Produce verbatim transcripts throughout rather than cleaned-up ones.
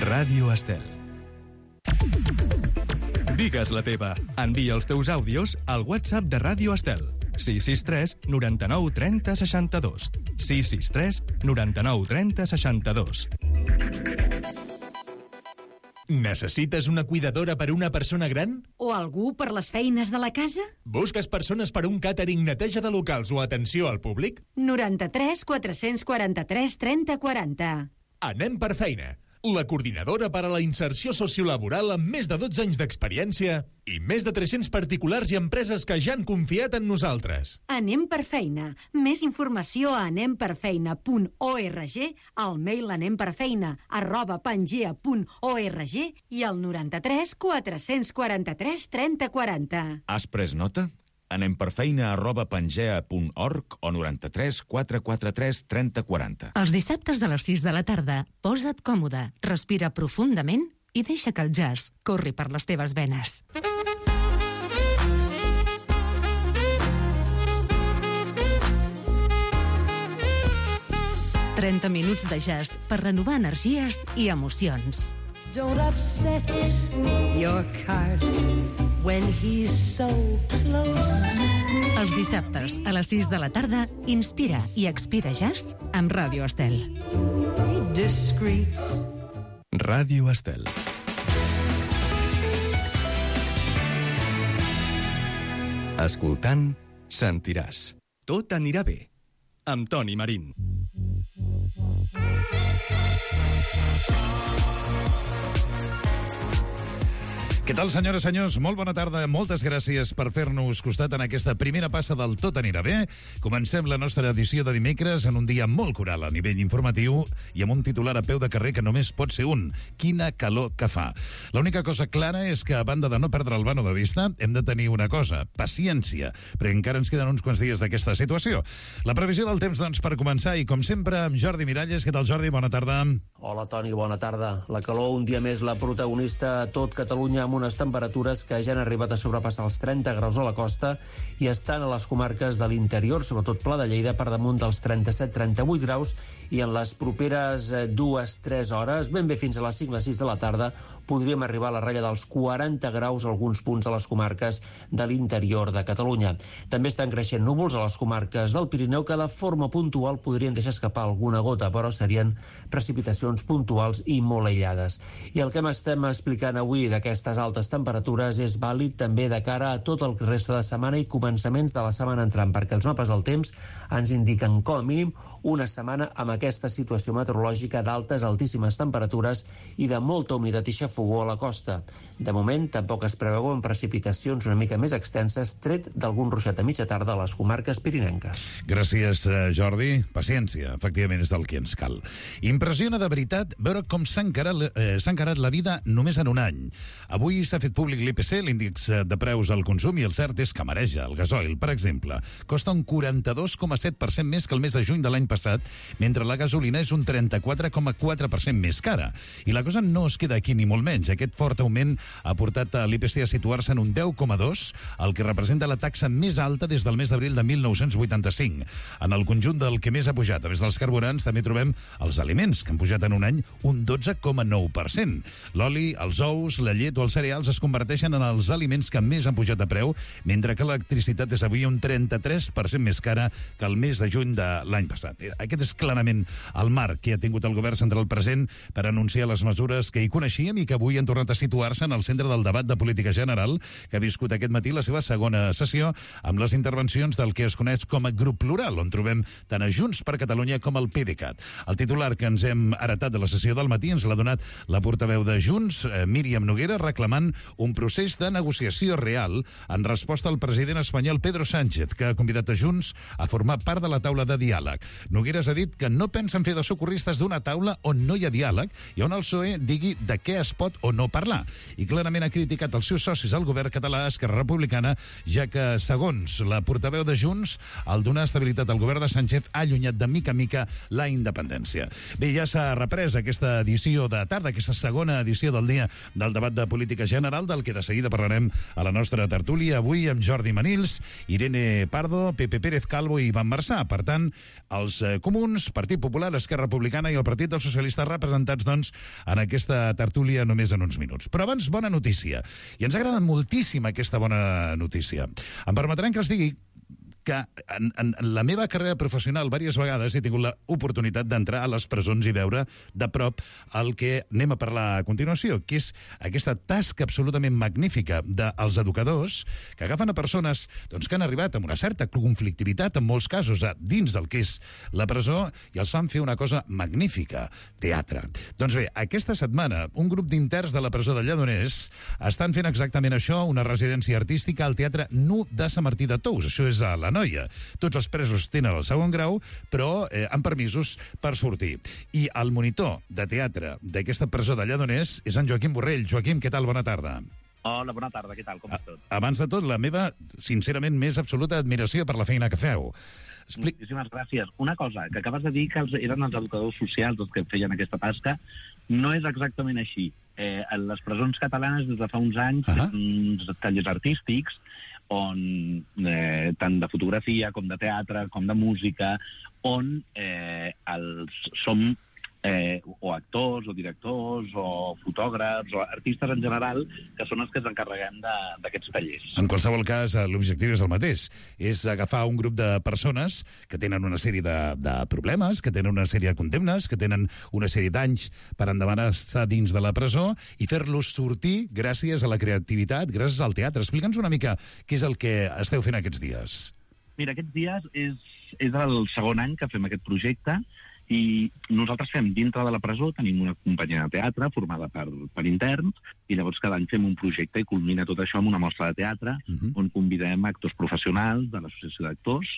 Ràdio Estel. Digues la teva. Envia els teus àudios al WhatsApp de Ràdio Estel. sis sis tres noranta-nou trenta seixanta-dos. sis sis tres noranta-nou trenta seixanta-dos. Necessites una cuidadora per una persona gran? O algú per les feines de la casa? Busques persones per un càtering, neteja de locals o atenció al públic? noranta-tres quatre-cents quaranta-tres trenta quaranta. Anem per feina. La coordinadora per a la inserció sociolaboral amb més de dotze anys d'experiència i més de tres-cents particulars i empreses que ja han confiat en nosaltres. Anem per feina. Més informació a anem per feina punt org, al mail anemperfeina arroba pangea punt org i al noranta-tres quatre-cents quaranta-tres trenta quaranta. Has pres nota? Anem per feina arroba pangea punt org o noranta-tres quatre quaranta-tres trenta quaranta. Els dissabtes a les sis de la tarda, posa't còmode, respira profundament i deixa que el jazz corri per les teves venes. trenta minuts de jazz per renovar energies i emocions. Don't upset your cart when he's so close. Els dissabtes a les sis de la tarda, inspira i expira jazz amb Ràdio Estel. Discreet. Ràdio Estel. Escoltant, sentiràs. Tot anirà bé. Amb Toni Marín. Què tal, senyores i senyors? Molt bona tarda. Moltes gràcies per fer-nos costat en aquesta primera passa del Tot anirà bé. Comencem la nostra edició de dimecres en un dia molt coral a nivell informatiu i amb un titular a peu de carrer que només pot ser un. Quina calor que fa. L'única cosa clara és que, a banda de no perdre el vano de vista, hem de tenir una cosa, paciència, perquè encara ens queden uns quants dies d'aquesta situació. La previsió del temps, doncs, per començar, i com sempre, amb Jordi Miralles. Què tal, Jordi? Bona tarda. Hola, Toni, bona tarda. La calor, un dia més, la protagonista a tot Catalunya, amb unes temperatures que ja han arribat a sobrepassar els trenta graus a la costa i estan a les comarques de l'interior, sobretot Pla de Lleida, per damunt dels trenta-set trenta-vuit graus, i en les properes dues tres hores, ben bé fins a les cinc les sis de la tarda, podríem arribar a la ratlla dels quaranta graus a alguns punts de les comarques de l'interior de Catalunya. També estan creixent núvols a les comarques del Pirineu que de forma puntual podrien deixar escapar alguna gota, però serien precipitacions puntuals i molt aïllades. I el que estem explicant avui d'aquestes altes temperatures és vàlid també de cara a tot el reste de setmana i començaments de la setmana entrant, perquè els mapes del temps ens indiquen com a mínim una setmana amb aquesta situació meteorològica d'altes, altíssimes temperatures i de molta humitat i xafogó a la costa. De moment, tampoc es preveuen precipitacions una mica més extenses, tret d'algun ruixat a mitja tarda a les comarques pirinenques. Gràcies, Jordi. Paciència, efectivament, és del que ens cal. Impressiona de veritat veure com s'ha encarat, eh, s'ha encarat la vida només en un any. Avui s'ha fet públic l'I P C, l'índex de preus al consum, i el cert és que mareja. El gasoil, per exemple, costa un quaranta-dos coma set per cent més que el mes de juny de l'any passat, mentre la gasolina és un trenta-quatre coma quatre per cent més cara. I la cosa no es queda aquí ni molt menys. Aquest fort augment ha portat a l'I P C a situar-se en un deu coma dos, el que representa la taxa més alta des del mes d'abril de mil nou-cents vuitanta-cinc. En el conjunt del que més ha pujat, a més dels carburants, també trobem els aliments, que han pujat en un any un dotze coma nou per cent. L'oli, els ous, la llet o els cereals es converteixen en els aliments que més han pujat a preu, mentre que l'electricitat és avui un trenta-tres per cent més cara que el mes de juny de l'any passat. Aquest és clarament el marc que ha tingut el govern central present per anunciar les mesures que hi coneixíem i que avui han tornat a situar-se en el centre del debat de política general, que ha viscut aquest matí la seva segona sessió amb les intervencions del que es coneix com a grup plural, on trobem tant a Junts per Catalunya com al PDeCAT. El titular que ens hem heretat de la sessió del matí ens l'ha donat la portaveu de Junts, Míriam Noguera, reclamant un procés de negociació real en resposta al president espanyol Pedro Sánchez, que ha convidat a Junts a formar part de la taula de diàleg. Nogueras ha dit que no pensen fer de socorristes d'una taula on no hi ha diàleg i on el P S O E digui de què es pot o no parlar. I clarament ha criticat els seus socis al govern català, Esquerra Republicana, ja que, segons la portaveu de Junts, el donar estabilitat al govern de Sánchez ha allunyat de mica a mica la independència. Bé, ja s'ha reprès aquesta edició de tarda, aquesta segona edició del dia del debat de política pública general, del que de seguida parlarem a la nostra tertúlia, avui amb Jordi Manils, Irene Pardo, Pepe Pérez Calvo i Ivan Marçà. Per tant, els eh, comuns, Partit Popular, Esquerra Republicana i el Partit dels Socialistes representats, doncs, en aquesta tertúlia només en uns minuts. Però abans, bona notícia. I ens agrada moltíssim aquesta bona notícia. Em permetran que els digui que en, en, en la meva carrera professional diverses vegades he tingut l'oportunitat d'entrar a les presons i veure de prop el que anem a parlar a continuació, que és aquesta tasca absolutament magnífica dels educadors que agafen a persones doncs, que han arribat amb una certa conflictivitat, en molts casos, a dins del que és la presó, i els fan fer una cosa magnífica, teatre. Doncs bé, aquesta setmana, un grup d'interns de la presó de Lledoners estan fent exactament això, una residència artística al Teatre Nu de Sant Martí de Tous. Això és a la Noia. Tots els presos tenen el segon grau, però eh, amb permisos per sortir. I el monitor de teatre d'aquesta presó de Lledoners és en Joaquim Borrell. Joaquim, què tal? Bona tarda. Hola, bona tarda, què tal? Com estàs? Abans de tot, la meva, sincerament, més absoluta admiració per la feina que feu. Expli... Moltíssimes gràcies. Una cosa, que acabes de dir que els, eren els educadors socials els que feien aquesta tasca, no és exactament així. Eh, a les presons catalanes, des de fa uns anys, uh-huh. uns tallers artístics, on eh, tant de fotografia com de teatre com de música, on eh, els, som eh, o actors o directors o fotògrafs o artistes en general, que són els que ens encarreguem d'aquests tallers. En qualsevol cas, l'objectiu és el mateix. És agafar un grup de persones que tenen una sèrie de, de problemes, que tenen una sèrie de condemnes, que tenen una sèrie d'anys per endavant estar dins de la presó i fer-los sortir gràcies a la creativitat, gràcies al teatre. Explica'ns una mica què és el que esteu fent aquests dies. Mira, aquests dies és, és el segon any que fem aquest projecte, i nosaltres fem dintre de la presó, tenim una companyia de teatre formada per, per interns, i llavors cada any fem un projecte i culmina tot això amb una mostra de teatre, uh-huh. on convidem actors professionals de l'associació d'actors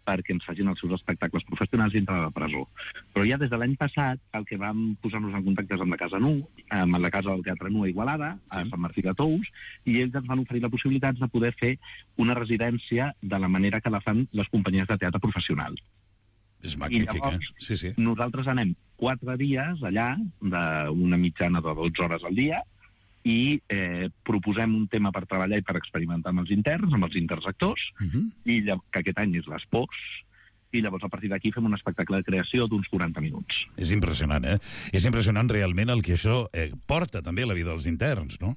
perquè ens facin els seus espectacles professionals dintre de la presó. Però ja des de l'any passat el que vam posar-nos en contacte és amb la Casa Nu, amb la Casa del Teatre Nu a Igualada, a sí. Sant Martí de Tous, i ells ens van oferir la possibilitat de poder fer una residència de la manera que la fan les companyies de teatre professionals. És magnífic, llavors, eh? Sí, sí. Nosaltres anem quatre dies allà, d'una mitjana de dotze hores al dia, i eh, proposem un tema per treballar i per experimentar amb els interns, amb els interns actors, uh-huh. i que aquest any és les pors, i llavors a partir d'aquí fem un espectacle de creació d'uns quaranta minuts. És impressionant, eh? És impressionant realment el que això eh, porta també a la vida dels interns, no?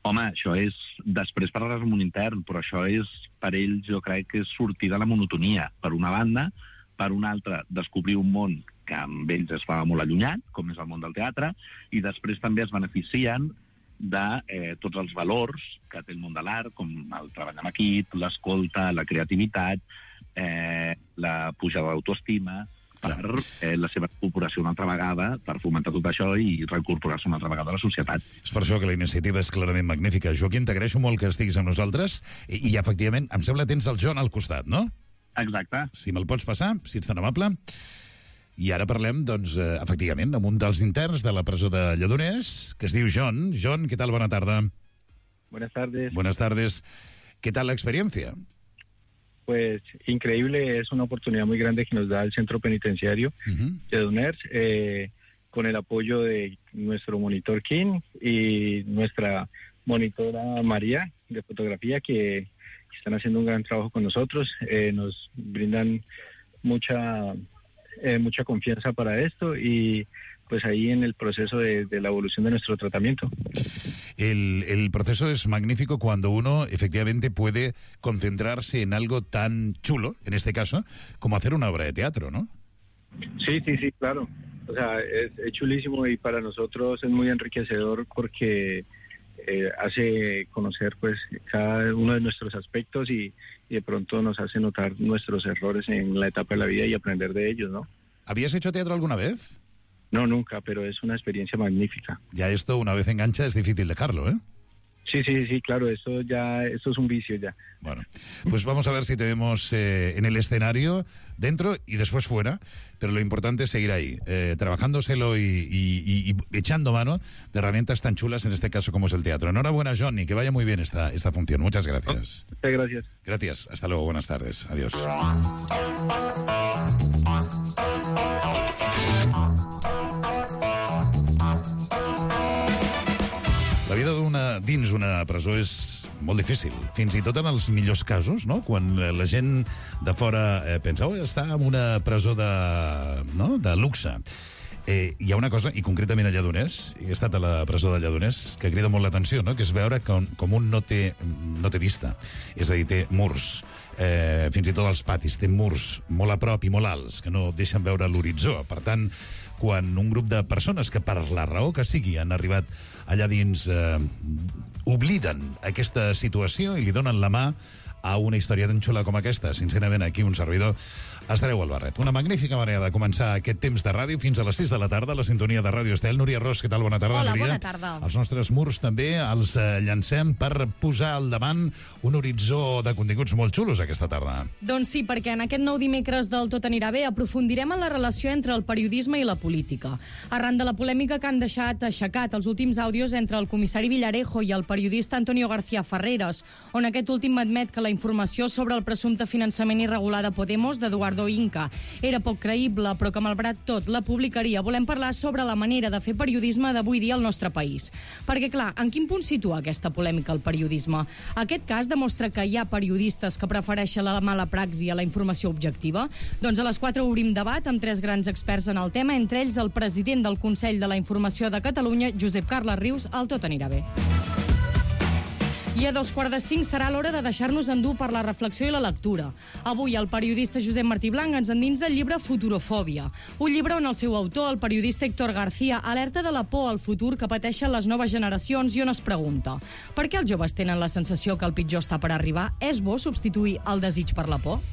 Home, això és... Després parlaràs amb un intern, però això és, per ells, jo crec que és sortir de la monotonia. Per una banda, per una altra, descobrir un món que amb ells es fa molt allunyat, com és el món del teatre, i després també es beneficien de eh, tots els valors que té el món de l'art, com el treball en equip, l'escolta, la creativitat, eh, la pujada d'autoestima, per eh, la seva incorporació una altra vegada, per fomentar tot això i reincorporar-se una altra vegada a la societat. És per això que la iniciativa és clarament magnífica. Joaquim, t'agraeixo molt que estiguis amb nosaltres i, i efectivament, em sembla que tens el John al costat, no? Exacte. Si me'l pots passar, si ets tan amable. I ara parlem, doncs, eh, efectivament, amb un dels interns de la presó de Lledoners, que es diu John. John, ¿qué tal? Buena tarde. Buenas tardes. Buenas tardes. ¿Qué tal la experiencia? Pues increíble, es una oportunidad muy grande que nos da el Centro Penitenciario uh-huh. Lledoners, eh, con el apoyo de nuestro monitor Kim y nuestra monitora María de fotografía, que están haciendo un gran trabajo con nosotros, eh, nos brindan mucha eh, mucha confianza para esto y pues ahí en el proceso de, de la evolución de nuestro tratamiento. El, el proceso es magnífico cuando uno efectivamente puede concentrarse en algo tan chulo, en este caso, como hacer una obra de teatro, ¿no? Sí, sí, sí, claro. O sea, es, es chulísimo y para nosotros es muy enriquecedor porque Eh, hace conocer pues cada uno de nuestros aspectos y, y de pronto nos hace notar nuestros errores en la etapa de la vida y aprender de ellos, ¿no? ¿Habías hecho teatro alguna vez? No, nunca, pero es una experiencia magnífica. Ya esto, una vez engancha, es difícil dejarlo, ¿eh? Sí, sí, sí, claro, esto ya, esto es un vicio ya. Bueno, pues vamos a ver si te vemos eh, en el escenario, dentro y después fuera, pero lo importante es seguir ahí, eh, trabajándoselo y, y, y, y echando mano de herramientas tan chulas, en este caso como es el teatro. Enhorabuena, Johnny, que vaya muy bien esta, esta función. Muchas gracias. Muchas gracias. Gracias, hasta luego, buenas tardes, adiós. La vida dins una presó és molt difícil, fins i tot en els millors casos, no? Quan la gent de fora eh, pensa, oh, està en una presó de, no? de luxe. Eh, hi ha una cosa, i concretament a Lledoners, he estat a la presó de Lledoners, que crida molt l'atenció, no? Que és veure com, com un no té, no té vista. És a dir, té murs, eh, fins i tot als patis, té murs molt a prop i molt alts, que no deixen veure l'horitzó. Per tant, quan un grup de persones que per la raó que sigui han arribat allà dins eh, obliden aquesta situació i li donen la mà a una història tan xula com aquesta, sincerament, aquí un servidor estareu al barret. Una magnífica manera de començar aquest temps de ràdio fins a les sis de la tarda, a la sintonia de Ràdio Estel. Núria Ros, què tal? Bona tarda, Hola, Núria. bona tarda. Els nostres murs també els eh, llancem per posar al davant un horitzó de continguts molt xulos aquesta tarda. Doncs sí, perquè en aquest nou dimecres del Tot anirà bé aprofundirem en la relació entre el periodisme i la política. Arran de la polèmica que han deixat aixecat els últims àudios entre el comissari Villarejo i el periodista Antonio García Ferreras, on aquest últim admet que la informació sobre el presumpte finançament irregular de Podemos d'Eduardo Inca era poc creïble, però que malgrat tot la publicaria. Volem parlar sobre la manera de fer periodisme d'avui dia al nostre país. Perquè, clar, en quin punt situa aquesta polèmica el periodisme? Aquest cas demostra que hi ha periodistes que prefereixen la mala praxi a la informació objectiva? Doncs a les quatre obrim debat amb tres grans experts en el tema, entre ells el president del Consell de la Informació de Catalunya, Josep Carles Rius. El Tot anirà bé. I a dos quarts de cinc serà l'hora de deixar-nos endur per la reflexió i la lectura. Avui el periodista Josep Martí Blanc ens endinsa el llibre Futurofòbia, un llibre on el seu autor, el periodista Héctor García, alerta de la por al futur que pateixen les noves generacions i on es pregunta: per què els joves tenen la sensació que el pitjor està per arribar? És bo substituir el desig per la por?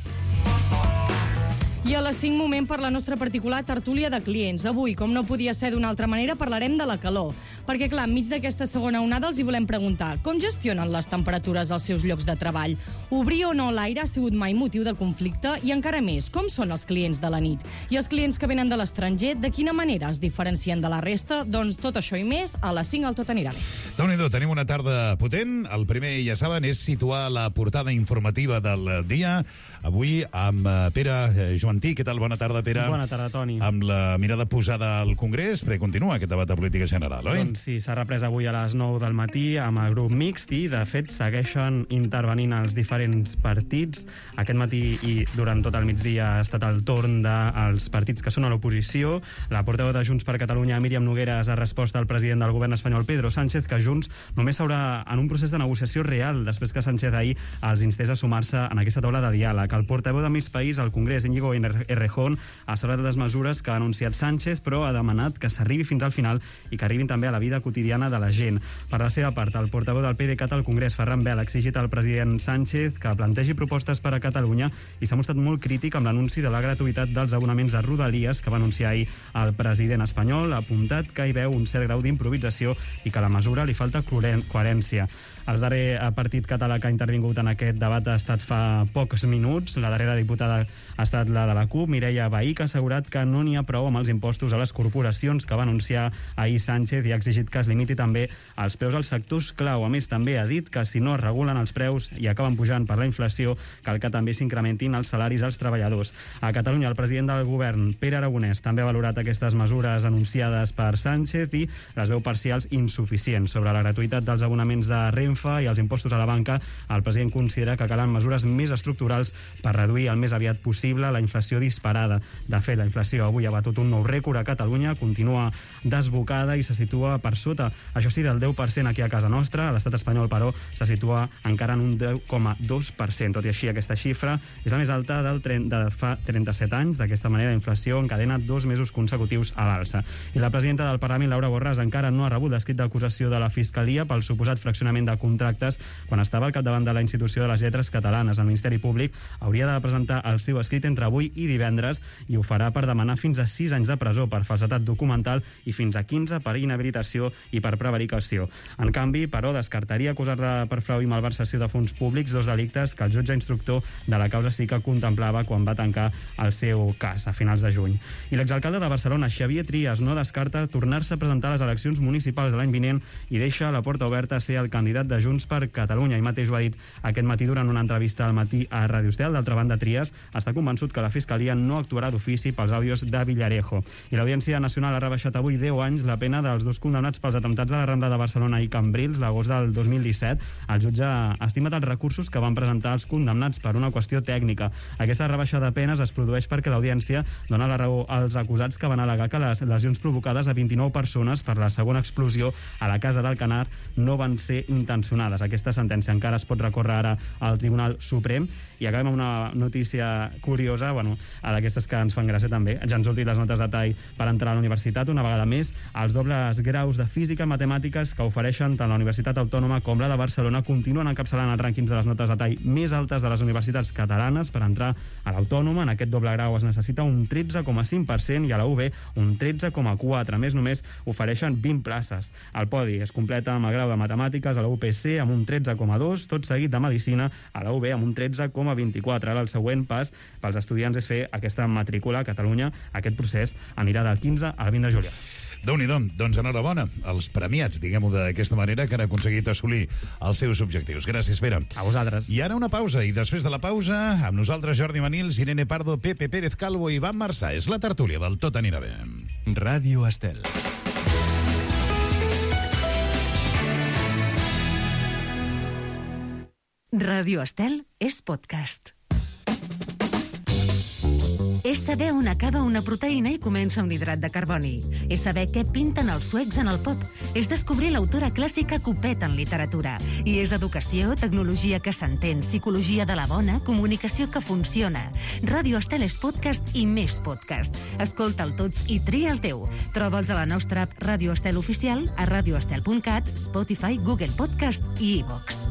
I a les cinc, moment per la nostra particular tertúlia de clients. Avui, com no podia ser d'una altra manera, parlarem de la calor. Perquè, clar, enmig d'aquesta segona onada els hi volem preguntar com gestionen les temperatures als seus llocs de treball? Obrir o no l'aire ha sigut mai motiu de conflicte? I encara més, com són els clients de la nit? I els clients que venen de l'estranger, de quina manera es diferencien de la resta? Doncs tot això i més, a les cinc al Tot anirà bé. Déu-n'hi-do, tenim una tarda potent. El primer, ja saben, és situar la portada informativa del dia. Avui amb Pere Joantí. Què tal? Bona tarda, Pere. Bona tarda, Toni. Amb la mirada posada al Congrés, perquè continua aquest debat de política general, oi? Doncs sí, s'ha reprès avui a les nou del matí amb el grup mixt i, de fet, segueixen intervenint els diferents partits. Aquest matí i durant tot el migdia ha estat el torn dels partits que són a l'oposició. La portaveu de Junts per Catalunya, Míriam Nogueras, ha respost al president del govern espanyol, Pedro Sánchez, que Junts només s'haurà en un procés de negociació real després que Sánchez ahir els instés a sumar-se en aquesta taula de diàleg. El portaveu de Més País al Congrés, Íñigo Errejón, ha celebrat les mesures que ha anunciat Sánchez, però ha demanat que s'arribi fins al final i que arribin també a la vida quotidiana de la gent. Per la seva part, el portaveu del PDeCAT al Congrés, Ferran Bel, ha exigit al president Sánchez que plantegi propostes per a Catalunya i s'ha mostrat molt crític amb l'anunci de la gratuïtat dels abonaments a Rodalies que va anunciar ahir el president espanyol. Ha apuntat que hi veu un cert grau d'improvisació i que a la mesura li falta coherència. El darrer partit català que ha intervingut en aquest debat ha estat fa pocs minuts. La darrera diputada ha estat la de la CUP, Mireia Vehí, que ha assegurat que no n'hi ha prou amb els impostos a les corporacions que va anunciar ahir Sánchez i ha exigit que es limiti també els preus als sectors clau. A més, també ha dit que si no es regulen els preus i acaben pujant per la inflació, cal que també s'incrementin els salaris als treballadors. A Catalunya, el president del govern, Pere Aragonès, també ha valorat aquestes mesures anunciades per Sánchez i les veu parcials insuficients. Sobre la gratuïtat dels abonaments de Renfe i els impostos a la banca, el president considera que calen mesures més estructurals per reduir el més aviat possible la inflació disparada. De fet, la inflació avui ha batut un nou rècord a Catalunya, continua desbocada i se situa per sota, això sí, del deu per cent aquí a casa nostra. A l'estat espanyol, però, se situa encara en un deu coma dos per cent. Tot i així, aquesta xifra és la més alta del de fa trenta-set anys. D'aquesta manera, la inflació encadena dos mesos consecutius a l'alça. I la presidenta del Parlament, Laura Borràs, encara no ha rebut l'escrit d'acusació de la Fiscalia pel suposat fraccionament de contractes quan estava al capdavant de la institució de les lletres catalanes. El Ministeri Públic hauria de presentar el seu escrit entre avui i divendres i ho farà per demanar fins a sis anys de presó per falsedat documental i fins a quinze per inhabilitació i per prevaricació. En canvi, però, descartaria acusar-la per frau i malversació de fons públics, dos delictes que el jutge instructor de la causa sí que contemplava quan va tancar el seu cas a finals de juny. I l'exalcalde de Barcelona, Xavier Trias, no descarta tornar-se a presentar a les eleccions municipals de l'any vinent i deixa la porta oberta a ser el candidat de Junts per Catalunya. I mateix ho ha dit aquest matí durant una entrevista al matí a Ràdio Estel. D'altra banda, Trias està convençut que la Fiscalia no actuarà d'ofici pels àudios de Villarejo. I l'Audiència Nacional ha rebaixat avui deu anys la pena dels dos condemnats pels atemptats a la Rambla de Barcelona i Cambrils l'agost del dos mil disset. El jutge ha estimat els recursos que van presentar els condemnats per una qüestió tècnica. Aquesta rebaixa de penes es produeix perquè l'Audiència dona la raó als acusats que van al·legar que les lesions provocades a vint-i-nou persones per la segona explosió a la Casa d'Alcanar no van ser intencionades. Aquesta sentència encara es pot recórrer ara al Tribunal Suprem. I acabem amb una notícia curiosa, bueno, d'aquestes que ens fan gràcia també. Ja han sortit les notes de tall per entrar a la universitat. Una vegada més, els dobles graus de física i matemàtiques que ofereixen tant la Universitat Autònoma com la de Barcelona continuen encapçalant els rànquings de les notes de tall més altes de les universitats catalanes. Per entrar a l'Autònoma, en aquest doble grau es necessita un tretze coma cinc per cent i a la U B un tretze coma quatre. A més, només ofereixen vint places. El podi es completa amb el grau de matemàtiques a la U P C amb un tretze coma dos, tot seguit de medicina a la U B amb un tretze coma vint-i-quatre. Ara el següent pas pels estudiants és fer aquesta matrícula a Catalunya. Aquest procés anirà del quinze al vint de juliol. Déu-n'hi-do, doncs enhorabona als premiats, diguem-ho d'aquesta manera, que han aconseguit assolir els seus objectius. Gràcies, Pere. A vosaltres. I ara una pausa, i després de la pausa, amb nosaltres Jordi Manils, Irene Pardo, Pepe Pérez Calvo i Ivan Marçà. És la tertúlia del Tot anirà bé. Ràdio Estel. Ràdio Estel és podcast. És saber on acaba una proteïna i comença un hidrat de carboni. És saber què pinten els suecs en el pop. És descobrir l'autora clàssica Copet en literatura. I és educació, tecnologia que s'entén, psicologia de la bona, comunicació que funciona. Ràdio Estel és podcast i més podcast. Escolta'l tots i tria el teu. Troba'ls a la nostra app Ràdio Estel Oficial, a radioestel punt cat, Spotify, Google Podcast i iVox.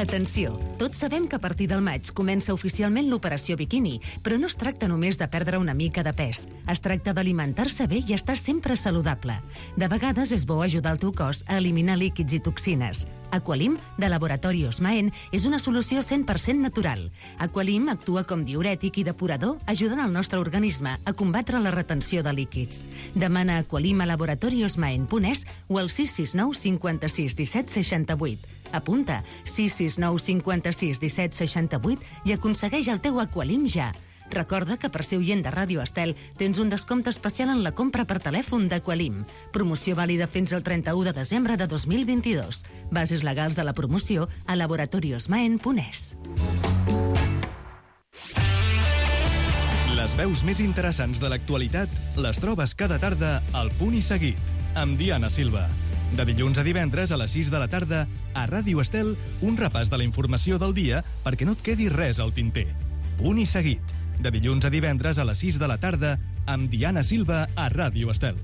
Atenció, tots sabem que a partir del maig comença oficialment l'operació biquini, però no es tracta només de perdre una mica de pes. Es tracta d'alimentar-se bé i estar sempre saludable. De vegades és bo ajudar el teu cos a eliminar líquids i toxines. Aqualim, de Laboratori Osmaen, és una solució cent per cent natural. Aqualim actua com diürètic i depurador, ajudant el nostre organisme a combatre la retenció de líquids. Demana Aqualim a laboratori osmaen punt es o al sis sis nou cinquanta-sis disset seixanta-vuit. Apunta sis sis nou cinquanta-sis disset seixanta-vuit i aconsegueix el teu Aqualim ja. Recorda que per ser oient de Ràdio Estel tens un descompte especial en la compra per telèfon d'Aqualim. Promoció vàlida fins al trenta-u de desembre de dos mil vint-i-dos. Bases legals de la promoció a laboratori osmaen punt es. Les veus més interessants de l'actualitat les trobes cada tarda al Punt i Seguit, amb Diana Silva. De dilluns a divendres a les sis de la tarda, a Ràdio Estel, un repàs de la informació del dia perquè no et quedi res al tinter. Punt i Seguit. De dilluns a divendres a les sis de la tarda, amb Diana Silva a Ràdio Estel.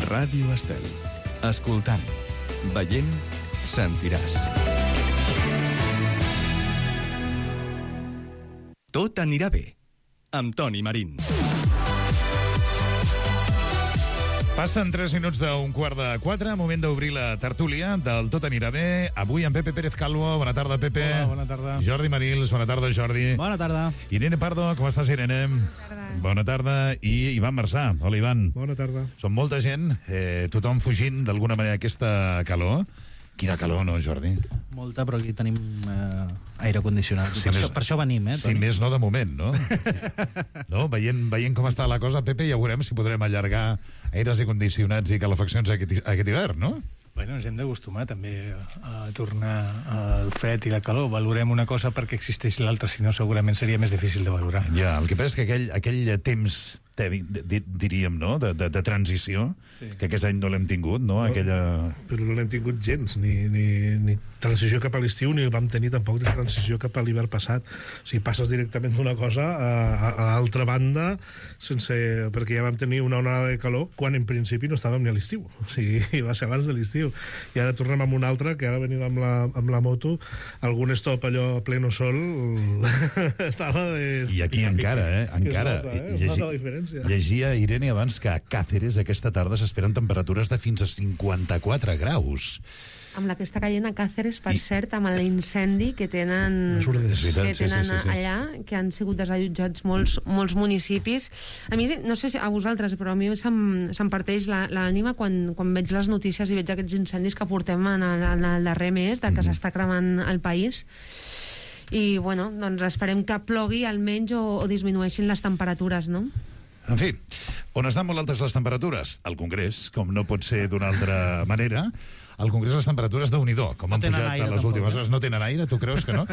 Ràdio Estel. Escoltant, veient, sentiràs. Tot anirà bé, amb Toni Marín. Passen tres minuts d'un quart de quatre, moment d'obrir la tertúlia del Tot anirà bé. Avui amb Pepe Pérez Calvo. Bona tarda, Pepe. Hola, bona tarda. Jordi Manils, bona tarda, Jordi. Bona tarda. Irene Pardo, com estàs, Irene? Bona tarda. Bona tarda. I Ivan Marçà. Hola, Ivan. Bona tarda. Som molta gent, eh, tothom fugint d'alguna manera aquesta calor. Quina calor, no, Jordi? Molta, però aquí tenim eh, aire condicionat. Si per, més, això, per això venim, eh, Toni? Si més no, de moment, no? no? Veient, veient com està la cosa, Pepe, ja veurem si podrem allargar aires condicionats i calefaccions aquest, aquest hivern, no? Bueno, ens hem d'acostumar també a tornar al fred i la calor. Valorem una cosa perquè existeix l'altra, si no segurament seria més difícil de valorar. Ja, el que passa és que aquell, aquell temps tèbic, diríem, no?, de, de, de transició, sí, que aquest any no l'hem tingut, no? no Aquella... Però no l'hem tingut gens, ni, ni, ni transició cap a l'estiu, ni vam tenir tampoc de transició cap a l'hivern passat. O sigui, passes directament d'una cosa a, a, a l'altra banda, sense, perquè ja vam tenir una onada de calor quan en principi no estàvem ni a l'estiu. O sigui, va ser abans de l'estiu. I ara tornem amb una altra, que ara venim amb la, amb la moto, algun stop allò a pleno sol... de... I aquí encara, eh? Encara. Nota, eh? Llegi... nota la diferència. Llegia, Irene, abans que a Càceres aquesta tarda s'esperen temperatures de fins a cinquanta-quatre graus. Amb la que està caient a Càceres, per I... cert, amb l'incendi que tenen, veritat, que tenen sí, sí, sí, sí. allà, que han sigut desallotjats molts, molts municipis. A mi, no sé si a vosaltres, però a mi se'm, se'm parteix l'ànima quan, quan veig les notícies i veig aquests incendis que portem en el, en el darrer mes, de que mm-hmm. s'està cremant el país. I, bueno, doncs esperem que plogui almenys o, o disminueixin les temperatures, no? En fi, on estan molt altes les temperatures? Al Congrés, com no pot ser d'una altra manera. Al Congrés les temperatures de Unidó, com no han pujat a les últimes hores. No tenen aire, tu creus que no?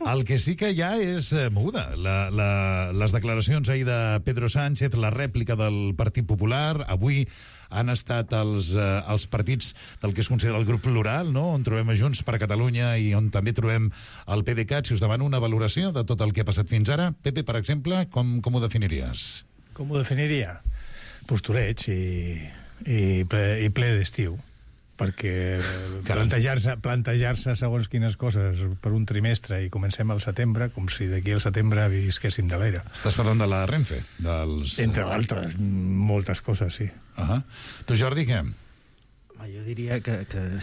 El que sí que hi ha és eh, moguda. La, la, les declaracions ahir de Pedro Sánchez, la rèplica del Partit Popular, avui han estat els, eh, els partits del que es considera el grup plural, no? On trobem a Junts per Catalunya i on també trobem el PDeCAT. Si us demano una valoració de tot el que ha passat fins ara, Pepe, per exemple, com, com ho definiries? Com ho definiria? Postureig i, i ple, i ple d'estiu, perquè plantejar-se plantejar-se segons quines coses per un trimestre i comencem al setembre, com si d'aquí al setembre visquéssim de l'era. Estàs parlant de la Renfe? Dels... Entre altres, moltes coses, sí. Uh -huh. Tu, Jordi, què? Jo diria que, que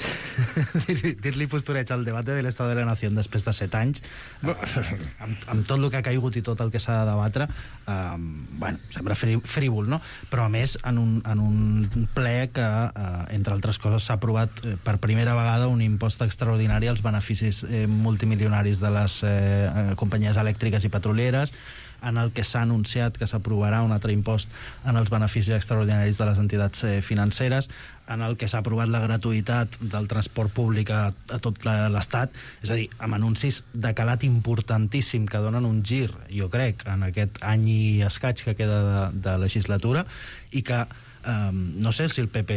dir-li postureig al debat de l'Estat de la Nació després de set anys, eh, amb, amb tot el que ha caigut i tot el que s'ha de debatre, eh, bueno, sembla frívol, no? Però a més en un, en un ple que, eh, entre altres coses, s'ha aprovat eh, per primera vegada un impost extraordinari als beneficis eh, multimilionaris de les eh, companyies elèctriques i petrolieres, en el que s'ha anunciat que s'aprovarà un altre impost en els beneficis extraordinaris de les entitats eh, financeres, en el que s'ha aprovat la gratuïtat del transport públic a, a tot l'Estat, és a dir, amb anuncis de calat importantíssim que donen un gir, jo crec, en aquest any i escaig que queda de, de legislatura, i que Um, no sé si el P P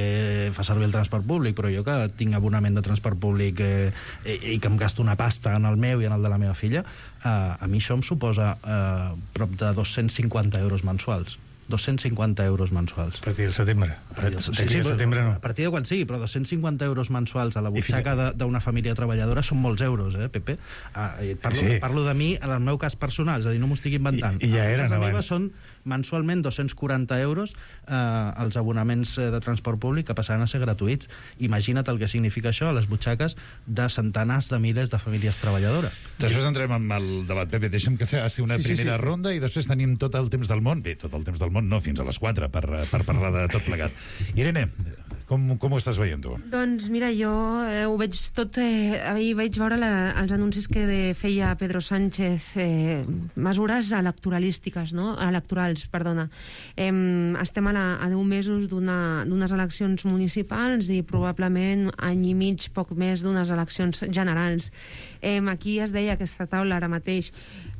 fa servir el transport públic, però jo que tinc abonament de transport públic eh, i, i que em gasto una pasta en el meu i en el de la meva filla, uh, a mi això em suposa uh, prop de dos-cents cinquanta euros mensuals. dos-cents cinquanta euros mensuals. A partir del setembre. A partir, sí, sí, setembre no. A partir de quan sigui, però dos-cents cinquanta euros mensuals a la butxaca d'una família treballadora són molts euros, eh, Pepe? Ah, parlo, sí. parlo de mi, en el meu cas personal, és a dir, no m'ho estic inventant. I, i ja eren a casa abans. meva són mensualment dos-cents quaranta euros eh, els abonaments de transport públic que passaran a ser gratuïts. Imagina't el que significa això a les butxaques de centenars de milers de famílies treballadores. Després entrem amb el debat, Pepe. Deixa'm que faci una sí, primera sí, sí. ronda i després tenim tot el temps del món. Bé, tot el temps del món no, fins a les quatre per, per parlar de tot plegat. Irene, com, com ho estàs veient tu? Doncs mira, jo eh, ho veig tot... Eh, ahir vaig veure la, els anuncis que de, feia Pedro Sánchez, eh, mesures electoralístiques, no? Electorals, perdona. Eh, estem a, la, a deu mesos d'unes eleccions municipals i probablement any i mig, poc més, d'unes eleccions generals. Eh, aquí es deia aquesta taula ara mateix,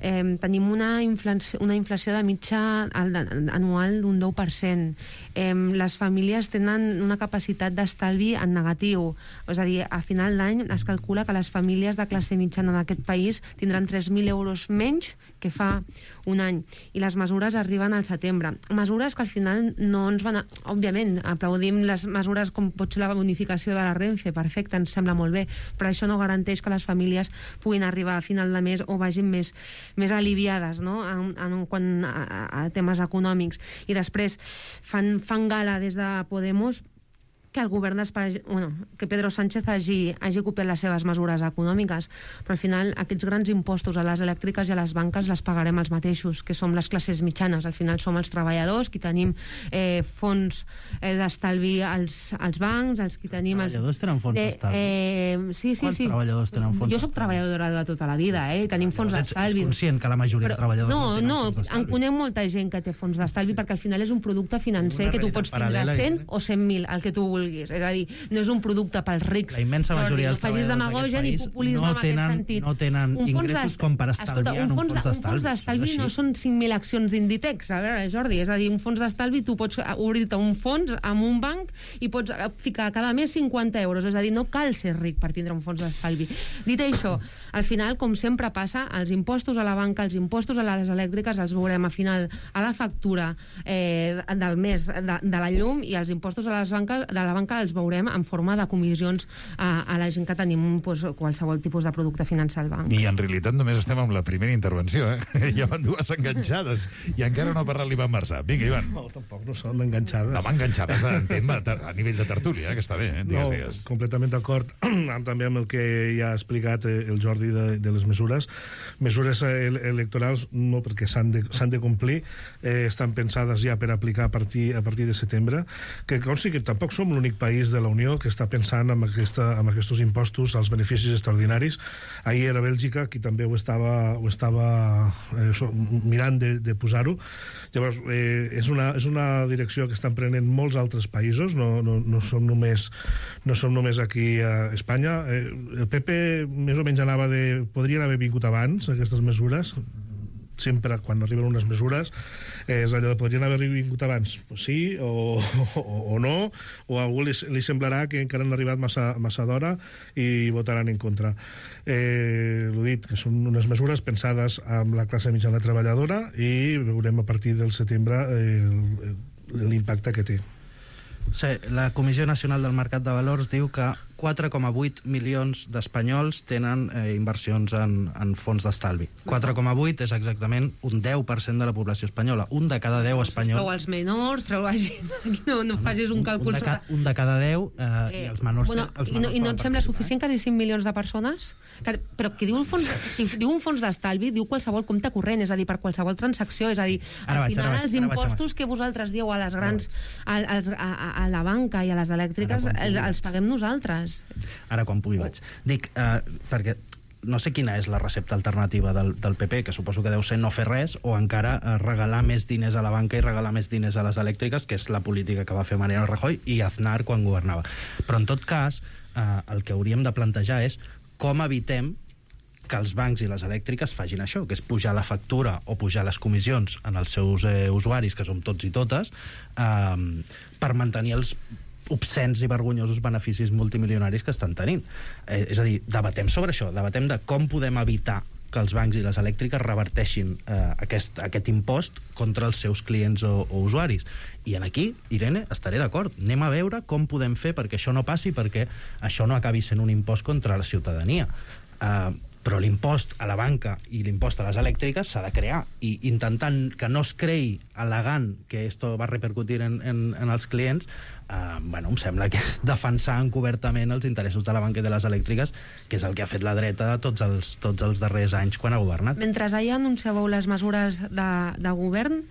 eh, tenim una inflació, una inflació de mitja anual d'un deu per cent. Eh, les famílies tenen una capacitat d'estalvi en negatiu. És a dir, a final d'any es calcula que les famílies de classe mitjana d'aquest país tindran tres mil euros menys que fa un any. I les mesures arriben al setembre. Mesures que al final no ens van... A... Òbviament, aplaudim les mesures com pot ser la bonificació de la Renfe, perfecte, ens sembla molt bé, però això no garanteix que les famílies puguin arribar a final de mes o vagin més, més aliviades, no? en, en, quan, a, a temes econòmics. I després fan, fan gala des de Podemos que el govern d'Espanya, bueno, que Pedro Sánchez hagi, hagi copiat les seves mesures econòmiques, però al final aquests grans impostos a les elèctriques i a les banques les pagarem els mateixos, que som les classes mitjanes. Al final som els treballadors, qui tenim eh, fons eh, d'estalvi als, als bancs, els qui tenim... Els treballadors tenen fons d'estalvi? Eh, sí, sí, Quants sí. treballadors tenen fons Jo soc treballadora de tota la vida, eh? Tenim fons d'estalvi. Ets conscient que la majoria de treballadors no, no tenen no, fons d'estalvi? No, en conec molta gent que té fons d'estalvi perquè al final és un producte financer que tu pots tindre cent o cent mil, el que tu vulguis. És a dir, no és un producte pels rics. La immensa majoria dels treballadors d'aquest país no tenen, no tenen ingressos com per estalviar en un fons d'estalvi. Un fons d'estalvi no són cinc mil accions d'Inditex, a veure, Jordi, és a dir, un fons d'estalvi tu pots obrir-te un fons amb un banc i pots ficar cada mes cinquanta euros, és a dir, no cal ser ric per tindre un fons d'estalvi. Dit això, al final, com sempre passa, els impostos a la banca, els impostos a les elèctriques els veurem a final a la factura eh, del mes de, de la llum, i els impostos a les banques, de la banca els veurem en forma de comissions a, a la gent que tenim pues, qualsevol tipus de producte financer al banc. I en realitat només estem amb la primera intervenció, eh? Ja van dues enganxades i encara no ha parlat l'Ivan Marsà. Vinga, Ivan. No, tampoc no són enganxades. No, enganxades entenc, a nivell de tertúlia, eh? Que està bé, eh? Digues, no, digues. Completament d'acord també amb el que ja ha explicat el Jordi de, de les mesures. Mesures electorals no, perquè s'han de, s'han de complir, eh, estan pensades ja per aplicar a partir, a partir de setembre, que consti que tampoc som l'únic país de la Unió que està pensant en, aquesta, en aquests impostos als beneficis extraordinaris. Ahir era Bèlgica, qui també ho estava, ho estava eh, so, mirant de, de posar-ho. Llavors, eh, és, una, és una direcció que estan prenent molts altres països, no, no, no, som, només, no som només aquí a Espanya. Eh, el P P més o menys anava de... Podrien haver vingut abans, aquestes mesures, sempre quan arriben unes mesures, eh, és allò de podrien haver vingut abans. Pues sí, o, o, o no, o a algú li, li semblarà que encara han arribat massa, massa d'hora i votaran en contra. Eh, l'ho dit, que són unes mesures pensades amb la classe mitjana treballadora i veurem a partir del setembre eh, l'impacte que té. Sí, la Comissió Nacional del Mercat de Valors diu que quatre coma vuit milions d'espanyols tenen eh, inversions en, en fons d'estalvi. quatre coma vuit és exactament un deu per cent de la població espanyola. Un de cada deu espanyols... Treu els menors, treu la gent... No, no facis un càlcul... Un de, ca, un de cada deu eh, eh, i els menors... Bueno, els menors I no, i no et sembla suficient quasi cinc milions de persones? Que, però que diu un fons, diu un fons d'estalvi, diu qualsevol compte corrent, és a dir, per qualsevol transacció, és a dir, al vaig, final vaig, els impostos vaig, que vosaltres dieu a les grans, a, a, a, a la banca i a les elèctriques, els, els paguem nosaltres. Ara quan pugui vaig. Dic, eh, perquè no sé quina és la recepta alternativa del, del P P, que suposo que deu ser no fer res o encara eh, regalar més diners a la banca i regalar més diners a les elèctriques, que és la política que va fer Mariano Rajoy i Aznar quan governava. Però en tot cas, eh, el que hauríem de plantejar és com evitem que els bancs i les elèctriques facin això, que és pujar la factura o pujar les comissions en els seus eh, usuaris, que som tots i totes, eh, per mantenir els obscens i vergonyosos beneficis multimilionaris que estan tenint. Eh, és a dir, debatem sobre això, debatem de com podem evitar que els bancs i les elèctriques reverteixin eh, aquest, aquest impost contra els seus clients o, o usuaris. I en aquí, Irene, estaré d'acord. Anem a veure com podem fer perquè això no passi, perquè això no acabi sent un impost contra la ciutadania. Eh, però l'impost a la banca i l'impost a les elèctriques s'ha de crear, i intentant que no es creï al·legant que esto va repercutir en, en, en els clients, eh, bueno, em sembla que és defensar encobertament els interessos de la banca i de les elèctriques, que és el que ha fet la dreta tots els, tots els darrers anys quan ha governat. Mentre ahir anunciàveu les mesures de, de govern,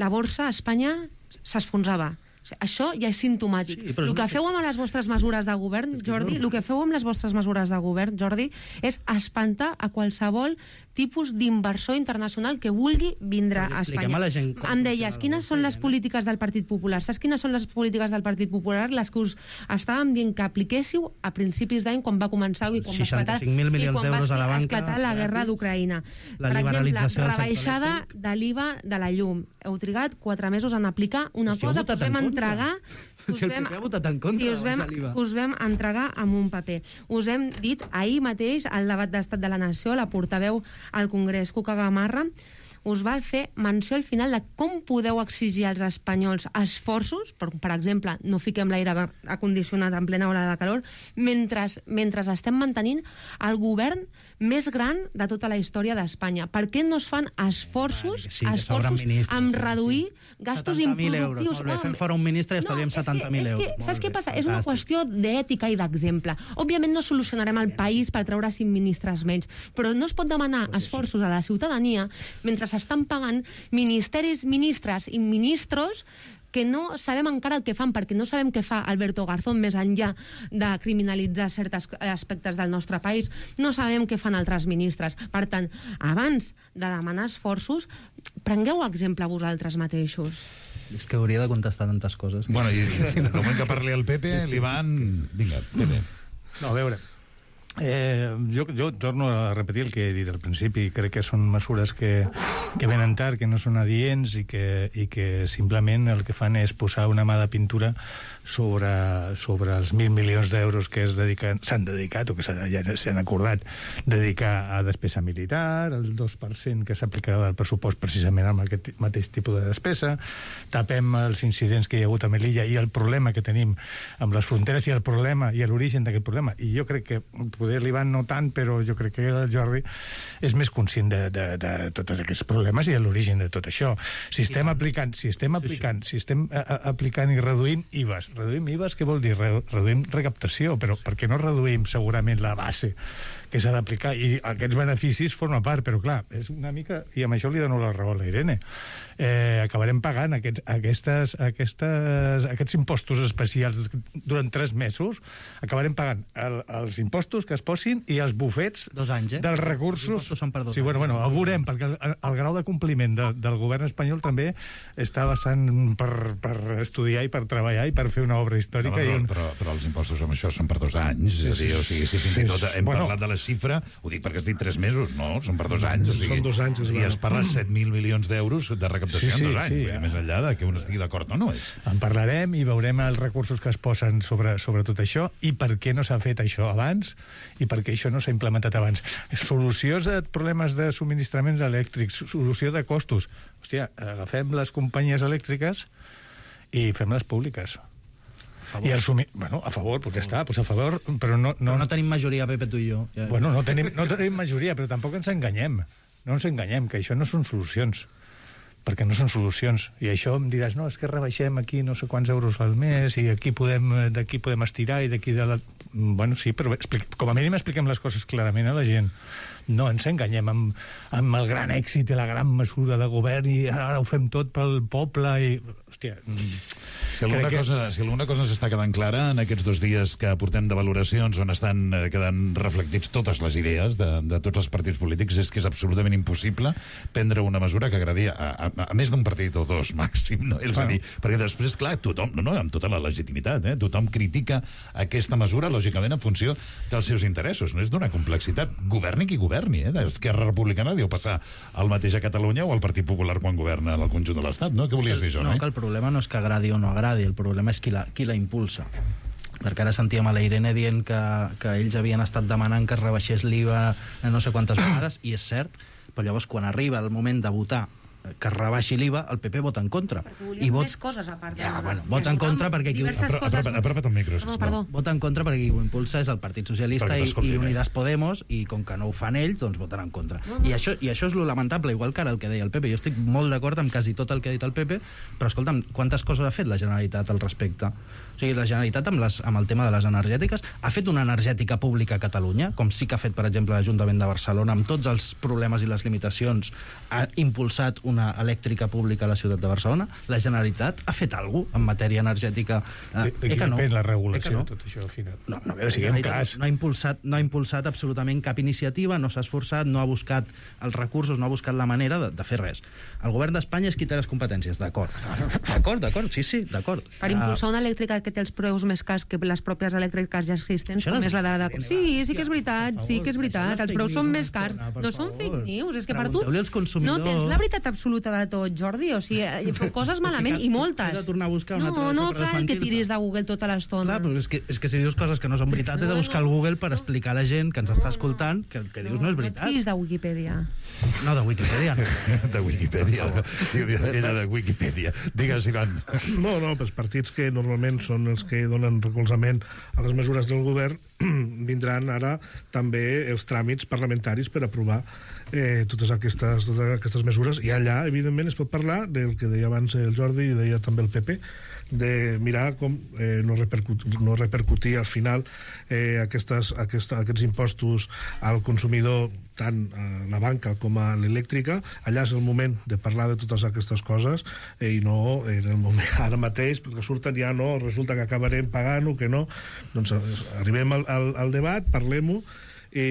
la borsa a Espanya s'esfonsava. Això ja és simptomàtic. Sí, el que feu amb les vostres mesures de govern, Jordi, el que feu amb les vostres mesures de govern, Jordi, és espantar a qualsevol tipus d'inversor internacional que vulgui vindre a Espanya. A em deies, quines són les polítiques del Partit Popular? Saps quines són les polítiques del Partit Popular? Les que us estàvem dient que apliquéssiu a principis d'any, quan va començar i quan va esclatar, i quan va esclatar la guerra d'Ucraïna. Per exemple, rebaixada de l'I V A de la llum. Heu trigat quatre mesos en aplicar una cosa que us vam entregar... Si el P P ha votat en contra, sí, us, vam, us vam entregar amb un paper. Us hem dit ahir mateix, al debat d'Estat de la Nació, la portaveu al Congrés, Cuca Gamarra, us va fer menció al final de com podeu exigir als espanyols esforços, per, per exemple, no fiquem l'aire acondicionat en plena hora de calor, mentre, mentre estem mantenint el govern més gran de tota la història d'Espanya. Per què no es fan esforços, sí, esforços en reduir sí. gastos improductius? Molt bé, fem fora un ministre i estalviem no, setanta mil euros. Que, saps què passa? És una qüestió d'ètica i d'exemple. Òbviament no solucionarem el país per treure cinc ministres menys, però no es pot demanar esforços a la ciutadania mentre s'estan pagant ministeris, ministres i ministros que no sabem encara el que fan, perquè no sabem què fa Alberto Garzón més enllà de criminalitzar certs aspectes del nostre país. No sabem què fan altres ministres. Per tant, abans de demanar esforços, prengueu exemple vosaltres mateixos. És que hauria de contestar tantes coses. Bueno, i, i, i el moment que parli el Pepe, sí, l'Ivan... Vinga, Pepe. No, a veure, Eh, jo, jo torno a repetir el que he dit al principi. Crec que són mesures que, que venen tard, que no són adients i que, i que simplement el que fan és posar una mà de pintura sobre, sobre els mil milions d'euros que s'han dedicat o que s'han acordat dedicar a despesa militar, el dos per cent que s'aplicarà del pressupost precisament amb aquest mateix tipus de despesa. Tapem els incidents que hi ha hagut a Melilla i el problema que tenim amb les fronteres i el problema i l'origen d'aquest problema. I jo crec que poder l'Ivan no tant, però jo crec que el Jordi és més conscient de, de, de tots aquests problemes i de l'origen de tot això. Si estem aplicant, si estem aplicant, si estem a, a, aplicant i reduint I V As, reduïm I V As, què vol dir? Reduïm recaptació, però per què no reduïm segurament la base que s'ha d'aplicar? I aquests beneficis formen part, però clar, és una mica, i amb això li dono la raó a la Irene, eh, acabarem pagant aquests, aquestes, aquestes, aquests impostos especials durant tres mesos, acabarem pagant el, els impostos que es posin i els bufets dos anys, eh? dels recursos. Els són per dos sí, bueno, anys. Bueno, ho veurem, perquè el, el grau de compliment de, del govern espanyol també està bastant per, per estudiar i per treballar i per fer una obra històrica. No, però, i un... però, però els impostos amb això són per dos anys, és a dir, o sigui, si fins i tot hem Bueno. parlat de la xifra, ho dic perquè has dit tres mesos, no, són per dos anys. O sigui, Són dos anys, és I es parla de set mil milions d'euros de recaptació Sí, sí, en dos anys, sí. vull dir, més enllà de que un estigui d'acord o no és. En parlarem i veurem els recursos que es posen sobre, sobre tot això i per què no s'ha fet això abans i per què això no s'ha implementat abans. Solucions a problemes de subministraments elèctrics, solució de costos. Hòstia, agafem les companyies elèctriques i fem-les públiques. I el sumi... Bueno, a favor, pues ja està, pues a favor, però no... No, però no tenim majoria, Pepe, tu i jo. Ja. Bueno, no tenim, no tenim majoria, però tampoc ens enganyem. No ens enganyem, que això no són solucions. Perquè no són solucions. I això em diràs, no, és que rebaixem aquí no sé quants euros al mes i aquí podem, d'aquí podem estirar i d'aquí de la... Bueno, sí, però explica, com a mínim expliquem les coses clarament a la gent. No ens enganyem amb, amb el gran èxit i la gran mesura de govern i ara ho fem tot pel poble i... Hòstia... Si alguna, que... cosa, si alguna cosa ens està quedant clara en aquests dos dies que portem de valoracions on estan eh, quedant reflectits totes les idees de, de tots els partits polítics és que és absolutament impossible prendre una mesura que agradi a, a, a més d'un partit o dos màxim, no? És bueno. a dir, perquè després, clar, tothom, no, no, amb tota la legitimitat, eh, tothom critica aquesta mesura, lògicament, en funció dels seus interessos, no és d'una complexitat. Governi qui governi, eh? Esquerra Republicana deu passar el mateix a Catalunya o al Partit Popular quan governa en el conjunt de l'Estat, no? Què volies dir, jo, no? No, que el problema no és que agradi o no agradi, el problema és qui la, qui la impulsa. Perquè ara sentíem a la Irene dient que, que ells havien estat demanant que es rebaixés l'I V A no sé quantes vegades, i és cert, però llavors quan arriba el moment de votar que es rebaixi l'I V A, el P P vota en contra. I vot... més coses a part. Ja, bueno, vota en contra perquè qui... Apropa't el micro. No, perdó. Vota en contra perquè qui ho impulsa és el Partit Socialista i, i Unidas Podemos, i com que no ho fan ells, doncs voten en contra. No, no. I, això, I això és lo lamentable, igual que ara el que deia el Pepe. Jo estic molt d'acord amb quasi tot el que ha dit el Pepe, però escolta'm, quantes coses ha fet la Generalitat al respecte? O sigui, la Generalitat amb, les, amb el tema de les energètiques ha fet una energètica pública a Catalunya, com sí que ha fet, per exemple, l'Ajuntament de Barcelona, amb tots els problemes i les limitacions, ha impulsat una elèctrica pública a la ciutat de Barcelona. La Generalitat ha fet alguna cosa en matèria energètica? Eh, eh que no. La regulació, no. tot això, al final. No, no, no, siguem clars. No ha, impulsat, no ha impulsat absolutament cap iniciativa, no s'ha esforçat, no ha buscat els recursos, no ha buscat la manera de, de fer res. El govern d'Espanya és qui té les competències, d'acord. D'acord, d'acord, sí, sí, d'acord. Per impulsar una elèctrica que té els preus més cars que les pròpies elèctriques ja existents, com és la de... de... Sí, sí que és veritat, sí que és veritat. Els preus són més cars. No són fake news, és que per tu... No tens la veritat absoluta de tot, Jordi, o sigui, coses malament, i moltes. He de tornar a buscar una no, no cal que tiris de Google tota l'estona. Clar, però és que, és que si dius coses que no són veritat, he de buscar al Google per explicar a la gent que ens està escoltant que el que dius no és veritat. No, no de Wikipedia. No, de Wikipedia. No. De Wikipedia. Era de Wikipedia. Digues, Ivan. No, no, els partits que normalment són els que donen recolzament a les mesures del govern vindran ara també els tràmits parlamentaris per aprovar eh, totes, aquestes, totes aquestes mesures, i allà, evidentment, es pot parlar del que deia abans el Jordi i deia també el Pepe, de mirar com eh, no, repercutir, no repercutir al final eh, aquestes, aquesta, aquests impostos al consumidor, tant a la banca com a l'elèctrica. Allà és el moment de parlar de totes aquestes coses eh, i no en el moment ara mateix, perquè surten ja no, resulta que acabarem pagant-ho, que no. Doncs arribem al, al, al debat, parlem-ho, i,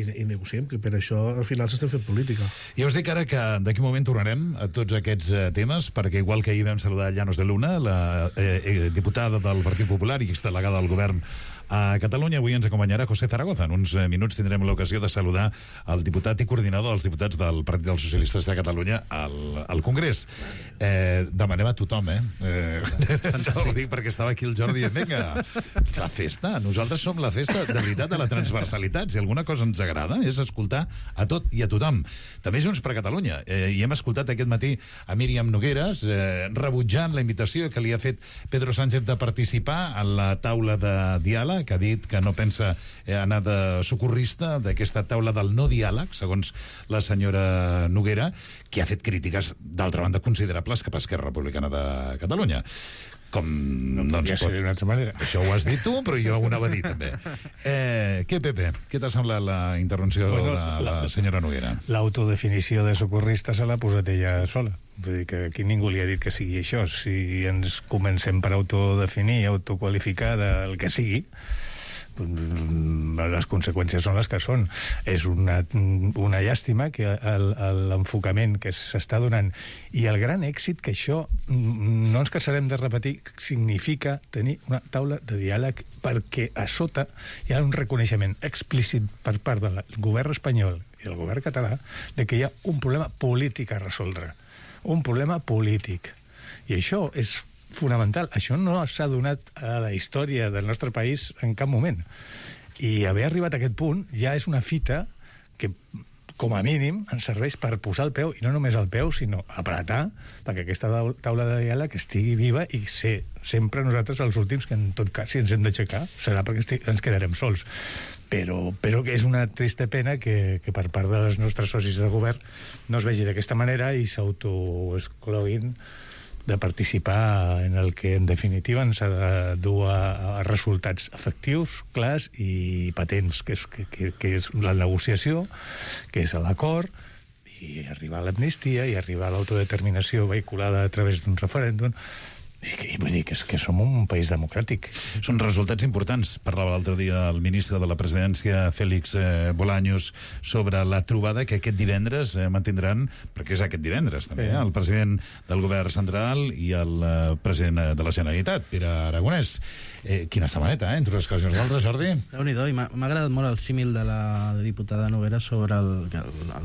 i, i negociem, que per això al final s'estem fent política. I us dic ara que d'aquí un moment tornarem a tots aquests eh, temes, perquè igual que ahir vam saludar Llanos de Luna, la eh, eh, diputada del Partit Popular i exdelegada del govern a Catalunya, avui ens acompanyarà José Zaragoza. En uns minuts tindrem l'ocasió de saludar el diputat i coordinador dels diputats del Partit dels Socialistes de Catalunya al, al Congrés. Eh, demanem a tothom, eh? eh no ho dic perquè estava aquí el Jordi dient, vinga, la festa, nosaltres som la festa de veritat de la transversalitat. Si alguna cosa ens agrada és escoltar a tot i a tothom. També Junts per Catalunya. Eh, I hem escoltat aquest matí a Míriam Nogueras eh, rebutjant la invitació que li ha fet Pedro Sánchez de participar a la taula de diàleg, que ha dit que no pensa anar de socorrista d'aquesta taula del no diàleg, segons la senyora Noguera, que ha fet crítiques, d'altra banda, considerables cap a Esquerra Republicana de Catalunya. Com no, no ja pot... d'una altra manera. Això ho has dit tu, però jo ho anava a dir també. Eh, què, Pepe? Què t'ha semblat la intervenció bueno, de la, la senyora Noguera? L'autodefinició de socorrista se l'ha posat ella sola. Vull dir que aquí ningú li ha dit que sigui això. Si ens comencem per autodefinir, autoqualificar del que sigui, les conseqüències són les que són. És una, una llàstima que l'enfocament que s'està donant i el gran èxit que això, no ens cansarem de repetir, significa tenir una taula de diàleg, perquè a sota hi ha un reconeixement explícit per part del govern espanyol i del govern català de que hi ha un problema polític a resoldre, un problema polític, i això és fonamental. Això no s'ha donat a la història del nostre país en cap moment. I haver arribat a aquest punt ja és una fita que, com a mínim, ens serveix per posar el peu, i no només el peu, sinó apretar perquè aquesta taula de diàleg estigui viva i ser sempre nosaltres els últims que, en tot cas, si ens hem d'aixecar, serà perquè ens quedarem sols. Però, però que és una trista pena que, que per part dels nostres socis de govern no es vegi d'aquesta manera i s'autoexcloguin de participar en el que en definitiva ens ha de dur a, a resultats efectius, clars i patents, que és, que, que, que és la negociació, que és l'acord, i arribar a l'amnistia i arribar a l'autodeterminació vehiculada a través d'un referèndum. I, i vull dir que, és, que som un país democràtic. Són resultats importants. Parlava l'altre dia el ministre de la Presidència, Félix eh, Bolaños, sobre la trobada que aquest divendres eh, mantindran, perquè és aquest divendres també, eh, el president del govern central i el eh, president de la Generalitat, Pere Aragonès. Eh, quina setmaneta, eh, entre les coses i les altres, Jordi? Déu-n'hi-do, i m'ha agradat molt el símil de la diputada Noguera sobre el,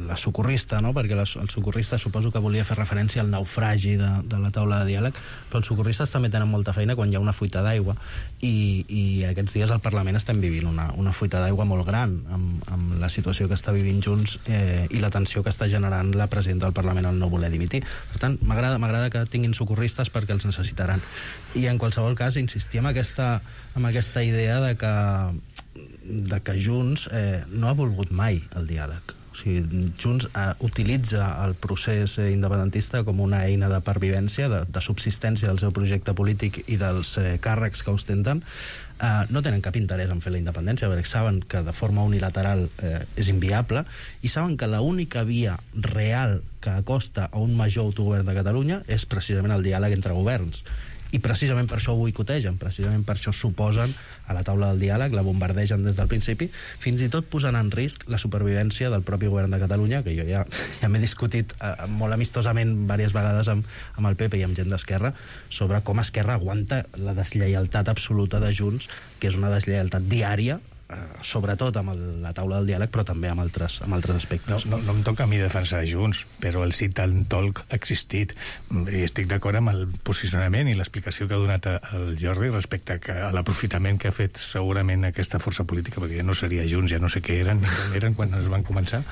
la socorrista, no? Perquè la, el socorrista suposo que volia fer referència al naufragi de, de la taula de diàleg, però els socorristes també tenen molta feina quan hi ha una fuita d'aigua, i, i aquests dies al Parlament estem vivint una, una fuita d'aigua molt gran amb, amb la situació que està vivint Junts eh, i la tensió que està generant la presidenta del Parlament al no voler dimitir. Per tant, m'agrada m'agrada que tinguin socorristes perquè els necessitaran. I en qualsevol cas insistir en aquesta amb aquesta idea de que, de que Junts eh, no ha volgut mai el diàleg. O sigui, Junts eh, utilitza el procés eh, independentista com una eina de pervivència, de, de subsistència del seu projecte polític i dels eh, càrrecs que ostenten. Eh, no tenen cap interès en fer la independència, perquè saben que de forma unilateral eh, és inviable, i saben que l'única via real que acosta a un major autogovern de Catalunya és precisament el diàleg entre governs. I precisament per això ho boicotegen, precisament per això s'oposen a la taula del diàleg, la bombardegen des del principi, fins i tot posant en risc la supervivència del propi govern de Catalunya, que jo ja, ja m'he discutit eh, molt amistosament diverses vegades amb, amb el P P i amb gent d'Esquerra sobre com Esquerra aguanta la deslleialtat absoluta de Junts, que és una deslleialtat diària, eh, sobretot amb el, la taula del diàleg, però també amb altres, amb altres aspectes. No, no, no em toca a mi defensar Junts, però el sit and talk ha existit, i estic d'acord amb el posicionament i l'explicació que ha donat el Jordi respecte a l'aprofitament que ha fet segurament aquesta força política, perquè ja no seria Junts, ja no sé què eren, ni com eren quan es van començar,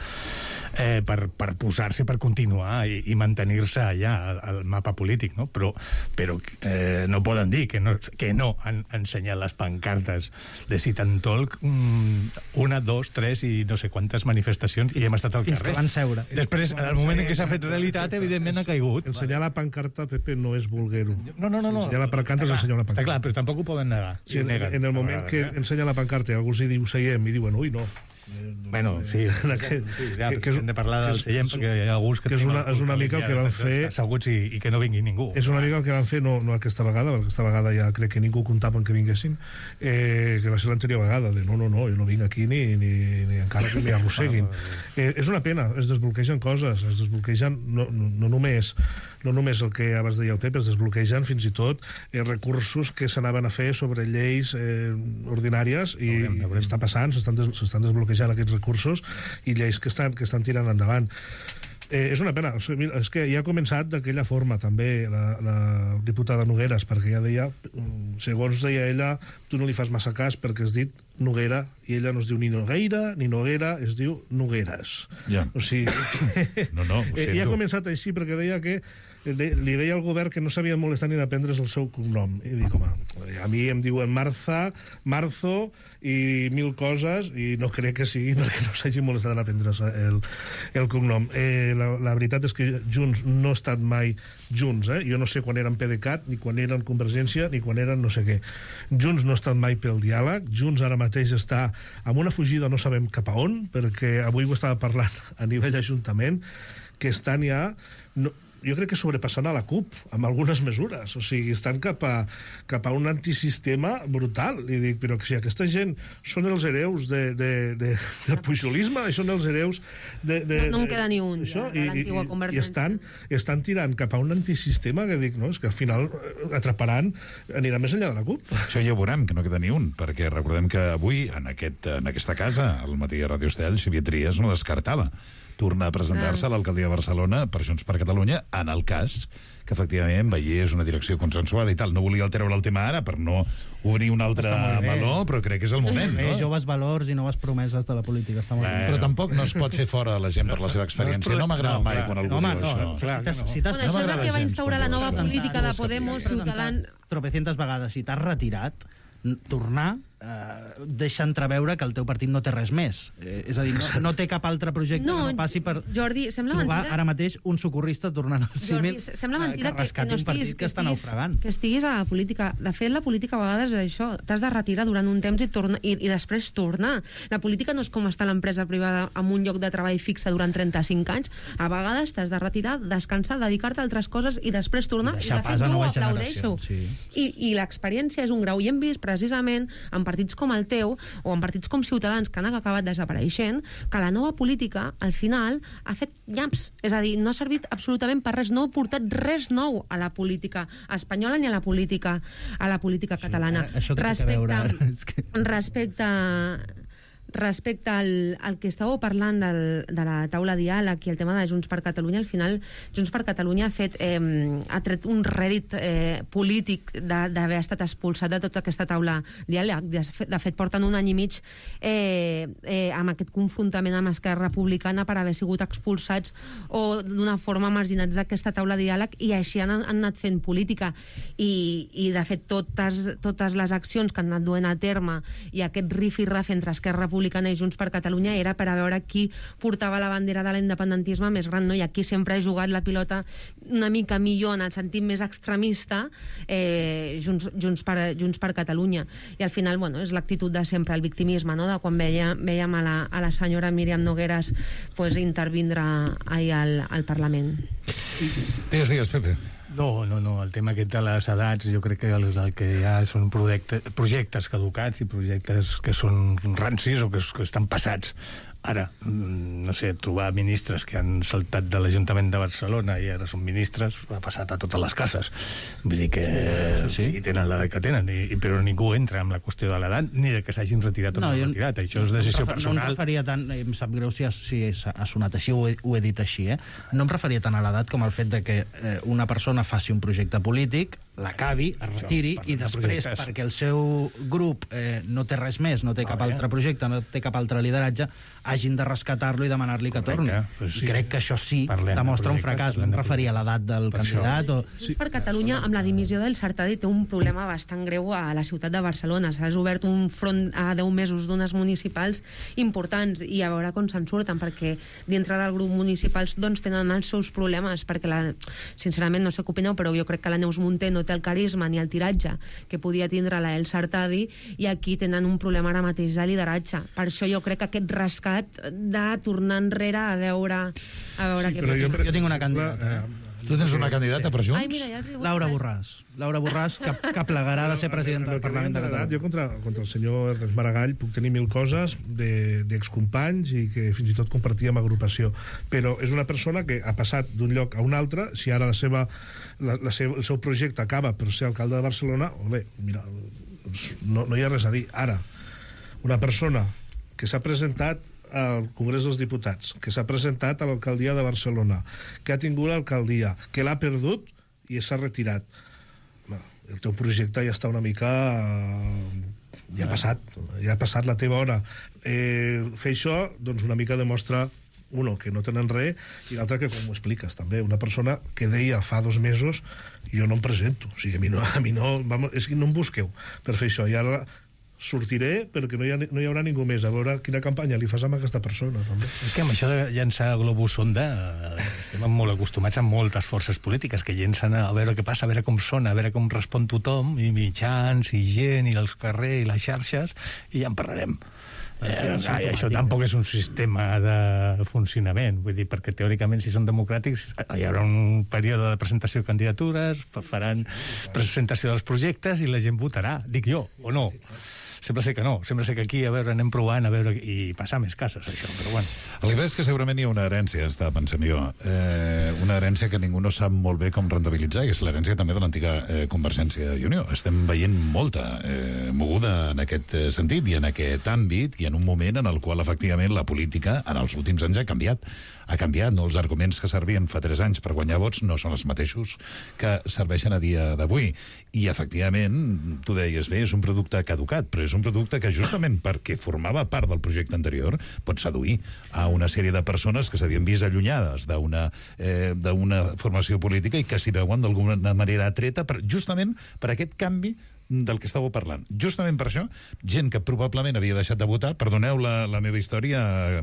eh, per, per posar-se, per continuar i, i mantenir-se allà al, al mapa polític, no? Però, però eh, no poden dir que no, que no han ensenyat les pancartes de sit and talk una, dos, tres i no sé quantes manifestacions i hem estat al fins carrer. Fins que van seure. Després, en el moment en què s'ha fet realitat, evidentment ha caigut. Ensenyar la pancarta, Pepe, no és vulguer-ho. No, no, no. no. Ensenyar la pancarta és ensenyar la pancarta. Està clar, però tampoc ho poden negar. Sí, en, neguen, en el moment que ensenya la pancarta i algú s'hi diu seiem i diuen, ui, no. Bueno, sí, que, sí ja, que, que és, hem de parlar del seient, perquè hi ha alguns que, que és una, és una mica el que van fer... asseguts i, i que no vingui ningú. És una mica el que van fer, no, no aquesta vegada, perquè aquesta vegada ja crec que ningú comptava que vinguessin, eh, que va ser l'anterior vegada, de no, no, no, jo no vinc aquí ni, ni, ni encara que m'hi arrosseguin. Eh, és una pena, es desbloquegen coses, es desbloquegen no, no, no només no només el que abans deia el Pep, es desbloquegen fins i tot eh, recursos que s'anaven a fer sobre lleis eh, ordinàries i, veurem, veurem. i està passant, s'estan des, desbloquejant aquests recursos i lleis que estan, que estan tirant endavant. Eh, és una pena, és que ja ha començat d'aquella forma també la, la diputada Nogueras, perquè ja deia, segons deia ella, tu no li fas massa cas perquè has dit Noguera, i ella no es diu ni Nogueira ni Noguera, es diu Nogueras. Ja. O sigui, no, no, ho eh, ja ha començat així perquè deia que li deia al govern que no s'havia molestat ni d'aprendre's el seu cognom. I dic, home, a mi em diuen Marza, Marzo i mil coses i no crec que sigui perquè no s'hagi molestat en aprendre's el, el cognom. Eh, la, la veritat és que Junts no ha estat mai Junts, eh? Jo no sé quan eren PDeCAT, ni quan eren Convergència, ni quan eren no sé què. Junts no ha estat mai pel diàleg, Junts ara mateix està amb una fugida no sabem cap a on, perquè avui ho estava parlant a nivell ajuntament, que estan ja... No, jo crec que sobrepassant a la CUP amb algunes mesures, o sigui, estan cap a, cap a un antisistema brutal, i dic, però que si aquesta gent són els hereus de, de, de, del pujolisme, són els hereus de... de no, no en queda ni un, això, de, de l'antigua Convergència. I estan, estan tirant cap a un antisistema que dic, no, és que al final atraparan, anirà més enllà de la CUP. Això ja ho veurem, que no queda ni un, perquè recordem que avui, en, aquest, en aquesta casa, al matí a Ràdio Estel, Xavier Trias no descartava tornar a presentar-se ah. a l'alcaldia de Barcelona per Junts per Catalunya, en el cas que efectivament veiés una direcció consensuada i tal. No volia treure el tema ara per no obrir un altre meló, però crec que és el moment, bé, no? Joves valors i noves promeses de la política. Està molt bé. Però tampoc no es pot fer fora la gent per la seva experiència. No m'agrada mai quan algú home, diu no, això. Clar, si no. Si bueno, això és el que va instaurar la nova política de Podemos, Ciutadans... Tropecientes vegades, si t'has retirat, tornar eh, deixa entreveure que el teu partit no té res més. Eh, és a dir, no, no té cap altre projecte no, que no passi per Jordi, sembla trobar mentida. ara mateix un socorrista tornant al símil Jordi, sembla mentida que, que, que no estiguis, que, que està naufragant. Que estiguis a la política. De fet, la política a vegades és això. T'has de retirar durant un temps i, torna, i, i després tornar. La política no és com estar a l'empresa privada amb un lloc de treball fixe durant trenta-cinc anys. A vegades t'has de retirar, descansar, dedicar-te a altres coses i després tornar. I, I de fet, jo ho aplaudeixo. Sí. I, I l'experiència és un grau. I hem vist precisament en partits com el teu o en partits com Ciutadans, que han acabat desapareixent, que la nova política, al final, ha fet nyaps. És a dir, no ha servit absolutament per res, no ha portat res nou a la política espanyola ni a la política a la política catalana. Sí, això respecte, veure, és que... respecte respecte al, al que estàveu parlant del, de la taula diàleg i el tema de Junts per Catalunya, al final Junts per Catalunya ha fet eh, ha tret un rèdit eh, polític d'haver estat expulsat de tota aquesta taula diàleg. De fet, de fet porten un any i mig eh, eh, amb aquest confrontament amb Esquerra Republicana per haver sigut expulsats o d'una forma marginats d'aquesta taula diàleg, i així han, han anat fent política i, i de fet totes, totes les accions que han anat duent a terme i aquest rif-i-raf entre Esquerra Republicana i Junts per Catalunya era per a veure qui portava la bandera de l'independentisme més gran, no? I aquí sempre ha jugat la pilota una mica millor en el sentit més extremista eh, Junts, Junts, per, Junts per Catalunya, i al final, bueno, és l'actitud de sempre, el victimisme, no? De quan veia, veiem a la, a la senyora Míriam Nogueras pues, intervindre ahir al, al Parlament. Digues, digues, Pepe. No, no, no, el tema aquest de les edats jo crec que el, el que hi ha són projectes, projectes caducats i projectes que són rancis o que, que estan passats. Ara, no sé, trobar ministres que han saltat de l'Ajuntament de Barcelona i ara són ministres, ha passat a totes les cases. Vull dir que sí, sí. tenen l'edat que tenen, i, però ningú entra amb la qüestió de l'edat ni de que s'hagin retirat o no, no retirat. Això és decisió no personal. No em referia tant, em sap greu si ha, si ha sonat així, ho he, ho he dit així, eh? No em referia tant a l'edat com al fet de que eh, una persona faci un projecte polític, l'acabi, es retiri, això, i després, de perquè el seu grup eh, no té res més, no té cap ah, altre projecte, no té cap altre lideratge, hagin de rescatar-lo i demanar-li que torni. Pues sí. I crec que això sí parlem demostra de un fracàs. No em referia a l'edat del per candidat. O... Sí. Per Catalunya, amb la dimissió del Sartadi, té un problema bastant greu a la ciutat de Barcelona. S'ha obert un front a deu mesos d'unes municipals importants i a veure com se'n surten, perquè dintre del grup municipals doncs, tenen els seus problemes, perquè la, sincerament no sé què opineu, però jo crec que la Neus Munté no té el carisma ni el tiratge que podia tindre la Elsa Artadi, i aquí tenen un problema ara mateix de lideratge. Per això jo crec que aquest rescat de tornar enrere a veure, a veure sí, què passa. Jo, jo tinc una candidata. Eh? Tu tens una candidata per Junts? Ai, mira, ja Laura Borràs. Laura Borràs, que, que plegarà de ser presidenta del Parlament de Catalunya. Jo contra, contra el senyor Ernest Maragall puc tenir mil coses d'excompanys i que fins i tot compartíem agrupació, però és una persona que ha passat d'un lloc a un altre. Si ara la seva, la, la seva, el seu projecte acaba per ser alcalde de Barcelona, bé, mira, no, no hi ha res a dir. Ara, una persona que s'ha presentat al Congrés dels Diputats, que s'ha presentat a l'alcaldia de Barcelona, que ha tingut l'alcaldia, que l'ha perdut i s'ha retirat. El teu projecte ja està una mica... ja ha passat, ja ha passat la teva hora. Eh, fer això, doncs, una mica demostra, uno, que no tenen res, i l'altre, que com ho expliques, també. Una persona que deia fa dos mesos jo no em presento. O sigui, a mi no, a mi no, vamos, és que no em busqueu per fer això. I ara sortiré, però que no hi, ha, no hi haurà ningú més. A veure quina campanya li fas amb aquesta persona, també. És que amb això de llançar globus sonda estem molt acostumats a moltes forces polítiques que llencen a veure què passa, a veure com sona, a veure com respon tothom, i mitjans, i gent, i els carrers, i les xarxes, i ja en parlarem. Eh, sí, sí, això tampoc és un sistema de funcionament, vull dir, perquè teòricament, si són democràtics, hi haurà un període de presentació de candidatures, faran presentació dels projectes i la gent votarà, dic jo, o no. Sembla ser que no, sembla ser que aquí, a veure, anem provant, a veure, i passar més cases, això, però bueno. El que és que segurament hi ha una herència, estava pensant jo, eh, una herència que ningú no sap molt bé com rentabilitzar, i és l'herència també de l'antiga eh, Convergència i Unió. Estem veient molta eh, moguda en aquest eh, sentit i en aquest àmbit, i en un moment en el qual, efectivament, la política, en els últims anys, ha canviat. Ha canviat, no? Els arguments que servien fa tres anys per guanyar vots no són els mateixos que serveixen a dia d'avui. I, efectivament, tu deies bé, és un producte caducat, però és un producte que, justament perquè formava part del projecte anterior, pot seduir a una sèrie de persones que s'havien vist allunyades d'una eh, d'una formació política i que s'hi veuen d'alguna manera atreta per, justament per aquest canvi del que estàveu parlant. Justament per això, gent que probablement havia deixat de votar, perdoneu la, la meva història,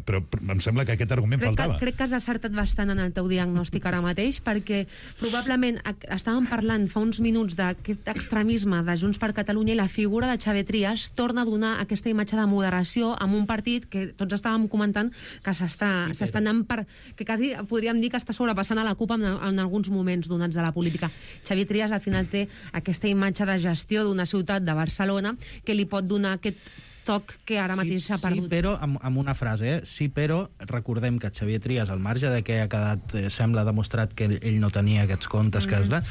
però em sembla que aquest argument crec faltava. Que, crec que has acertat bastant en el teu diagnòstic ara mateix, perquè probablement estàvem parlant fa uns minuts d'aquest extremisme de Junts per Catalunya, i la figura de Xavier Trias torna a donar aquesta imatge de moderació amb un partit que tots estàvem comentant que s'està sí, s'està anant per... que quasi podríem dir que està sobrepassant a la CUP en, en alguns moments donats de la política. Xavier Trias al final té aquesta imatge de gestió d'una ciutat de Barcelona que li pot donar aquest toc que ara mateix s'ha sí, perdut. Sí, però amb, amb una frase, eh? Sí, però recordem que Xavier Trias, al marge de que ha quedat, eh, sembla demostrat que ell, ell no tenia aquests comptes mm. que es da,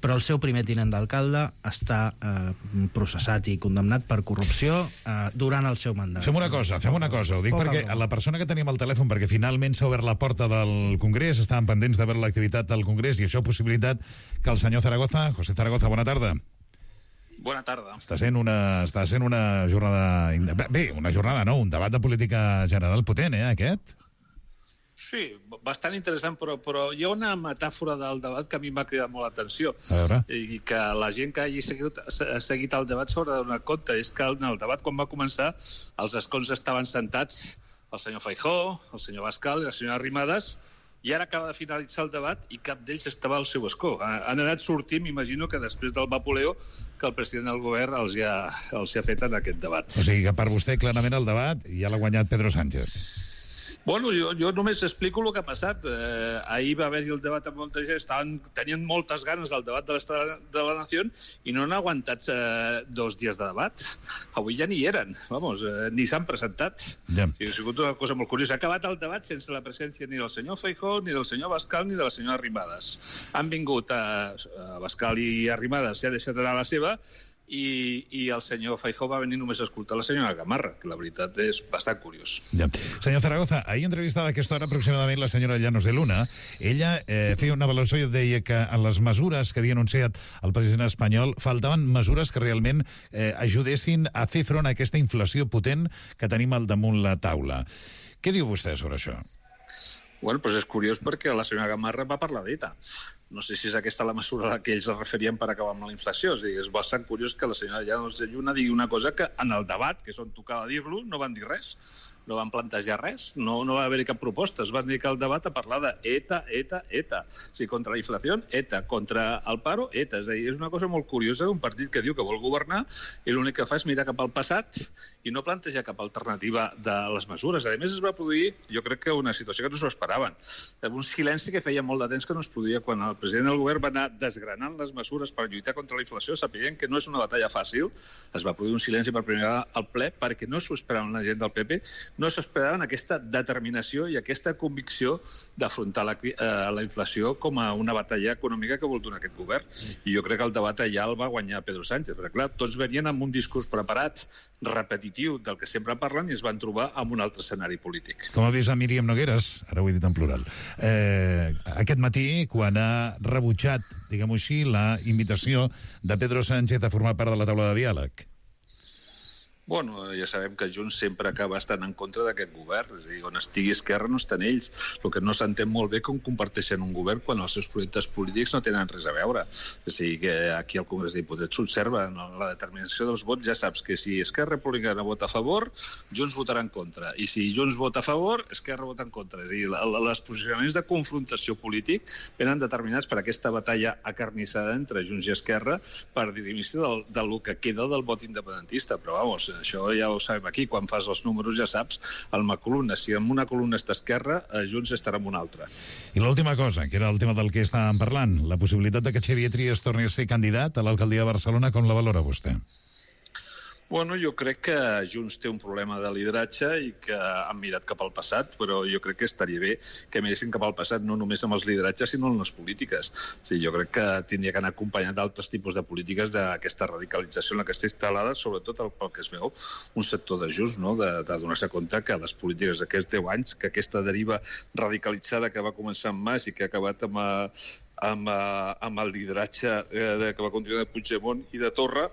però el seu primer tinent d'alcalde està eh, processat i condemnat per corrupció eh, durant el seu mandat. Fem una cosa, fem una cosa. Ho dic Poca perquè broma. la persona que tenim al telèfon, perquè finalment s'ha obert la porta del Congrés, estaven pendents de veure l'activitat del Congrés, i això ha possibilitat que el senyor Zaragoza, José Zaragoza, bona tarda. Bona tarda. Està sent una, està sent una jornada... Bé, una jornada, no? Un debat de política general potent, eh, aquest? Sí, bastant interessant, però, però hi ha una metàfora del debat que a mi m'ha cridat molt l'atenció. A veure. I que la gent que hagi seguit, seguit el debat s'haurà de donar compte. És que en el debat, quan va començar, els escons estaven sentats el senyor Feijóo, el senyor Bascal i la senyora Arrimadas, i ara acaba de finalitzar el debat i cap d'ells estava al seu escó. Han anat sortint, m'imagino que després del vapuleo que el president del govern els hi ha, els hi ha fet en aquest debat. O sigui que per vostè, clarament, el debat ja l'ha guanyat Pedro Sánchez. Bueno, jo, jo només explico el que ha passat. Eh, ahir va haver-hi el debat amb molta gent, estaven, tenien moltes ganes del debat de l'Estat de la Nació i no han aguantat eh, dos dies de debat. Avui ja ni hi eren, vamos, eh, ni s'han presentat. Ja. I ha sigut una cosa molt curiosa. Ha acabat el debat sense la presència ni del senyor Feijóo, ni del senyor Bascal, ni de la senyora Arrimadas. Han vingut a, a Bascal i Arrimadas, ja ha deixat anar la seva, I, i el senyor Feijóo va venir només a escoltar la senyora Gamarra, que la veritat és bastant curiós. Ja. Senyor Zaragoza, ahir entrevistava a aquesta hora aproximadament la senyora Llanos de Luna. Ella eh, feia una valoració i deia que en les mesures que havia anunciat el president espanyol faltaven mesures que realment eh, ajudessin a fer front a aquesta inflació potent que tenim al damunt la taula. Què diu vostè sobre això? Bueno, doncs és curiós perquè la senyora Gamarra va parlar d'E T A. No sé si és aquesta la mesura a la que ells es referien per acabar amb la inflació. O sigui, és bastant curiós que la senyora Llanos de Lluna digui una cosa que en el debat, que és on tocava dir-lo, no van dir res. no van plantejar res, no, no va haver-hi cap proposta. Es van dedicar al debat a parlar de ETA, ETA, ETA. O sigui, contra la inflació, ETA. Contra el paro, ETA. És a dir, és una cosa molt curiosa d'un partit que diu que vol governar i l'únic que fa és mirar cap al passat i no plantejar cap alternativa de les mesures. A més, es va produir, jo crec que una situació que no s'ho esperaven. Un silenci que feia molt de temps que no es produïa quan el president del govern va anar desgranant les mesures per lluitar contra la inflació, sapient que no és una batalla fàcil. Es va produir un silenci per primera vegada al ple perquè no s'ho esperaven la gent del P P, no s'esperaven aquesta determinació i aquesta convicció d'afrontar la, eh, la inflació com a una batalla econòmica que vol donar aquest govern. I jo crec que el debat allà el va guanyar Pedro Sánchez, perquè clar, tots venien amb un discurs preparat, repetitiu del que sempre parlen i es van trobar amb un altre escenari polític. Com ha vist a Míriam Nogueres, ara ho he dit en plural, eh, aquest matí, quan ha rebutjat, diguem-ho així, la invitació de Pedro Sánchez a formar part de la taula de diàleg? Bueno, ja sabem que Junts sempre acaba estant en contra d'aquest govern. És a dir, on estigui Esquerra no estan ells. El que no s'entén molt bé com comparteixen un govern quan els seus projectes polítics no tenen res a veure. És a dir, que aquí al Congrés de Diputats s'observa en la determinació dels vots, ja saps que si Esquerra Republicana vota a favor, Junts votarà en contra. I si Junts vota a favor, Esquerra vota en contra. És a dir, els posicionaments de confrontació polític venen determinats per aquesta batalla acarnissada entre Junts i Esquerra per dirimir-se del, del que queda del vot independentista. Però, vamos, això ja ho sabem aquí, quan fas els números ja saps, una columna, si en una columna està Esquerra, Junts estarà en una altra. I l'última cosa, que era el tema del que estàvem parlant, la possibilitat de que Xavier Trias torni a ser candidat a l'alcaldia de Barcelona, com la valora vostè? Bueno, jo crec que Junts té un problema de lideratge i que han mirat cap al passat, però jo crec que estaria bé que miressin cap al passat no només amb els lideratges, sinó en les polítiques. O sigui, jo crec que tindria que anar acompanyat d'altres tipus de polítiques d'aquesta radicalització en la que està instal·lada, sobretot pel que es veu un sector de Junts, no? de, de donar-se compte que les polítiques d'aquests deu anys, que aquesta deriva radicalitzada que va començar amb Mas i que ha acabat amb, amb, amb el lideratge eh, que va continuar de Puigdemont i de Torra,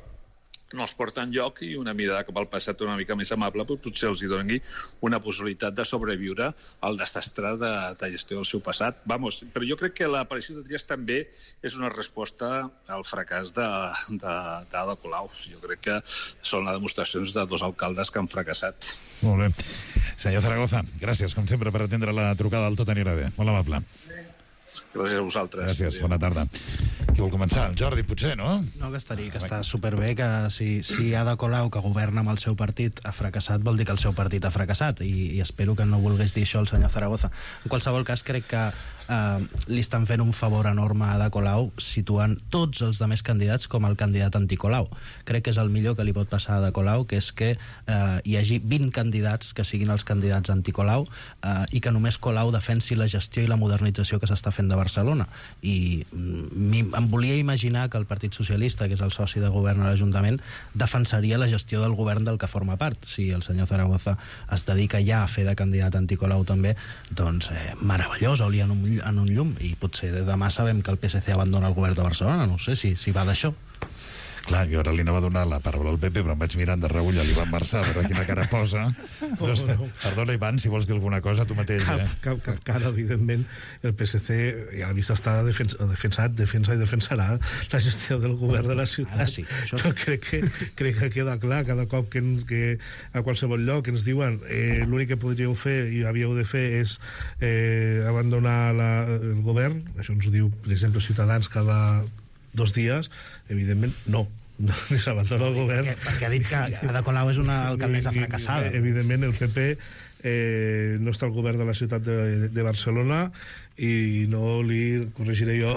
no els porta enlloc i una mirada cap al passat una mica més amable potser els hi doni una possibilitat de sobreviure al desastre de, de gestió del seu passat. Vamos, però jo crec que l'aparició de Trias també és una resposta al fracàs d'Ada Colau. Jo crec que són les demostracions de dos alcaldes que han fracassat. Molt bé. Senyor Zaragoza, gràcies, com sempre, per atendre la trucada del Tot anirà bé. Molt amable. Gràcies a vosaltres. Gràcies, bona tarda. Qui vol començar? El Jordi, potser, no? No, que estaria, que està superbé que si, si Ada Colau, que governa amb el seu partit, ha fracassat, vol dir que el seu partit ha fracassat, i, i espero que no volgués dir això el senyor Zaragoza. En qualsevol cas, crec que eh, li estan fent un favor enorme a Ada Colau situant tots els demés candidats com el candidat anticolau. Crec que és el millor que li pot passar a Ada Colau, que és que eh, hi hagi vint candidats que siguin els candidats anticolau eh, i que només Colau defensi la gestió i la modernització que s'està fent de Barcelona. I em volia imaginar que el Partit Socialista, que és el soci de govern a l'Ajuntament, defensaria la gestió del govern del que forma part. Si el senyor Zaragoza es dedica ja a fer de candidat anticolau també, doncs eh, meravellós, hauria en un, en un llum, i potser demà sabem que el P S C abandona el govern de Barcelona, no sé si, si va d'això. Clar, jo ara li anava a donar la paraula al P P, però em vaig mirant de reull a l'Ivan Marçà, a veure quina cara posa. No, no. Perdona, Ivan, si vols dir alguna cosa, tu mateix. Cap, eh? cap, cap cara, evidentment, el P S C ja l'ha vist estar defens, defensat, defensa i defensarà la gestió del govern de la ciutat. Ara sí, això... Però crec que, crec que queda clar, cada cop que, que a qualsevol lloc ens diuen eh, l'únic que podríeu fer i havíeu de fer és eh, abandonar la, el govern, això ens ho diu, per exemple, Ciutadans cada dos dies, evidentment, no. No, ni s'abandona el govern. Perquè, perquè ha dit que Ada Colau és una alcaldessa fracassada. Evidentment, el P P eh, no està al govern de la ciutat de, de Barcelona i no li corregiré jo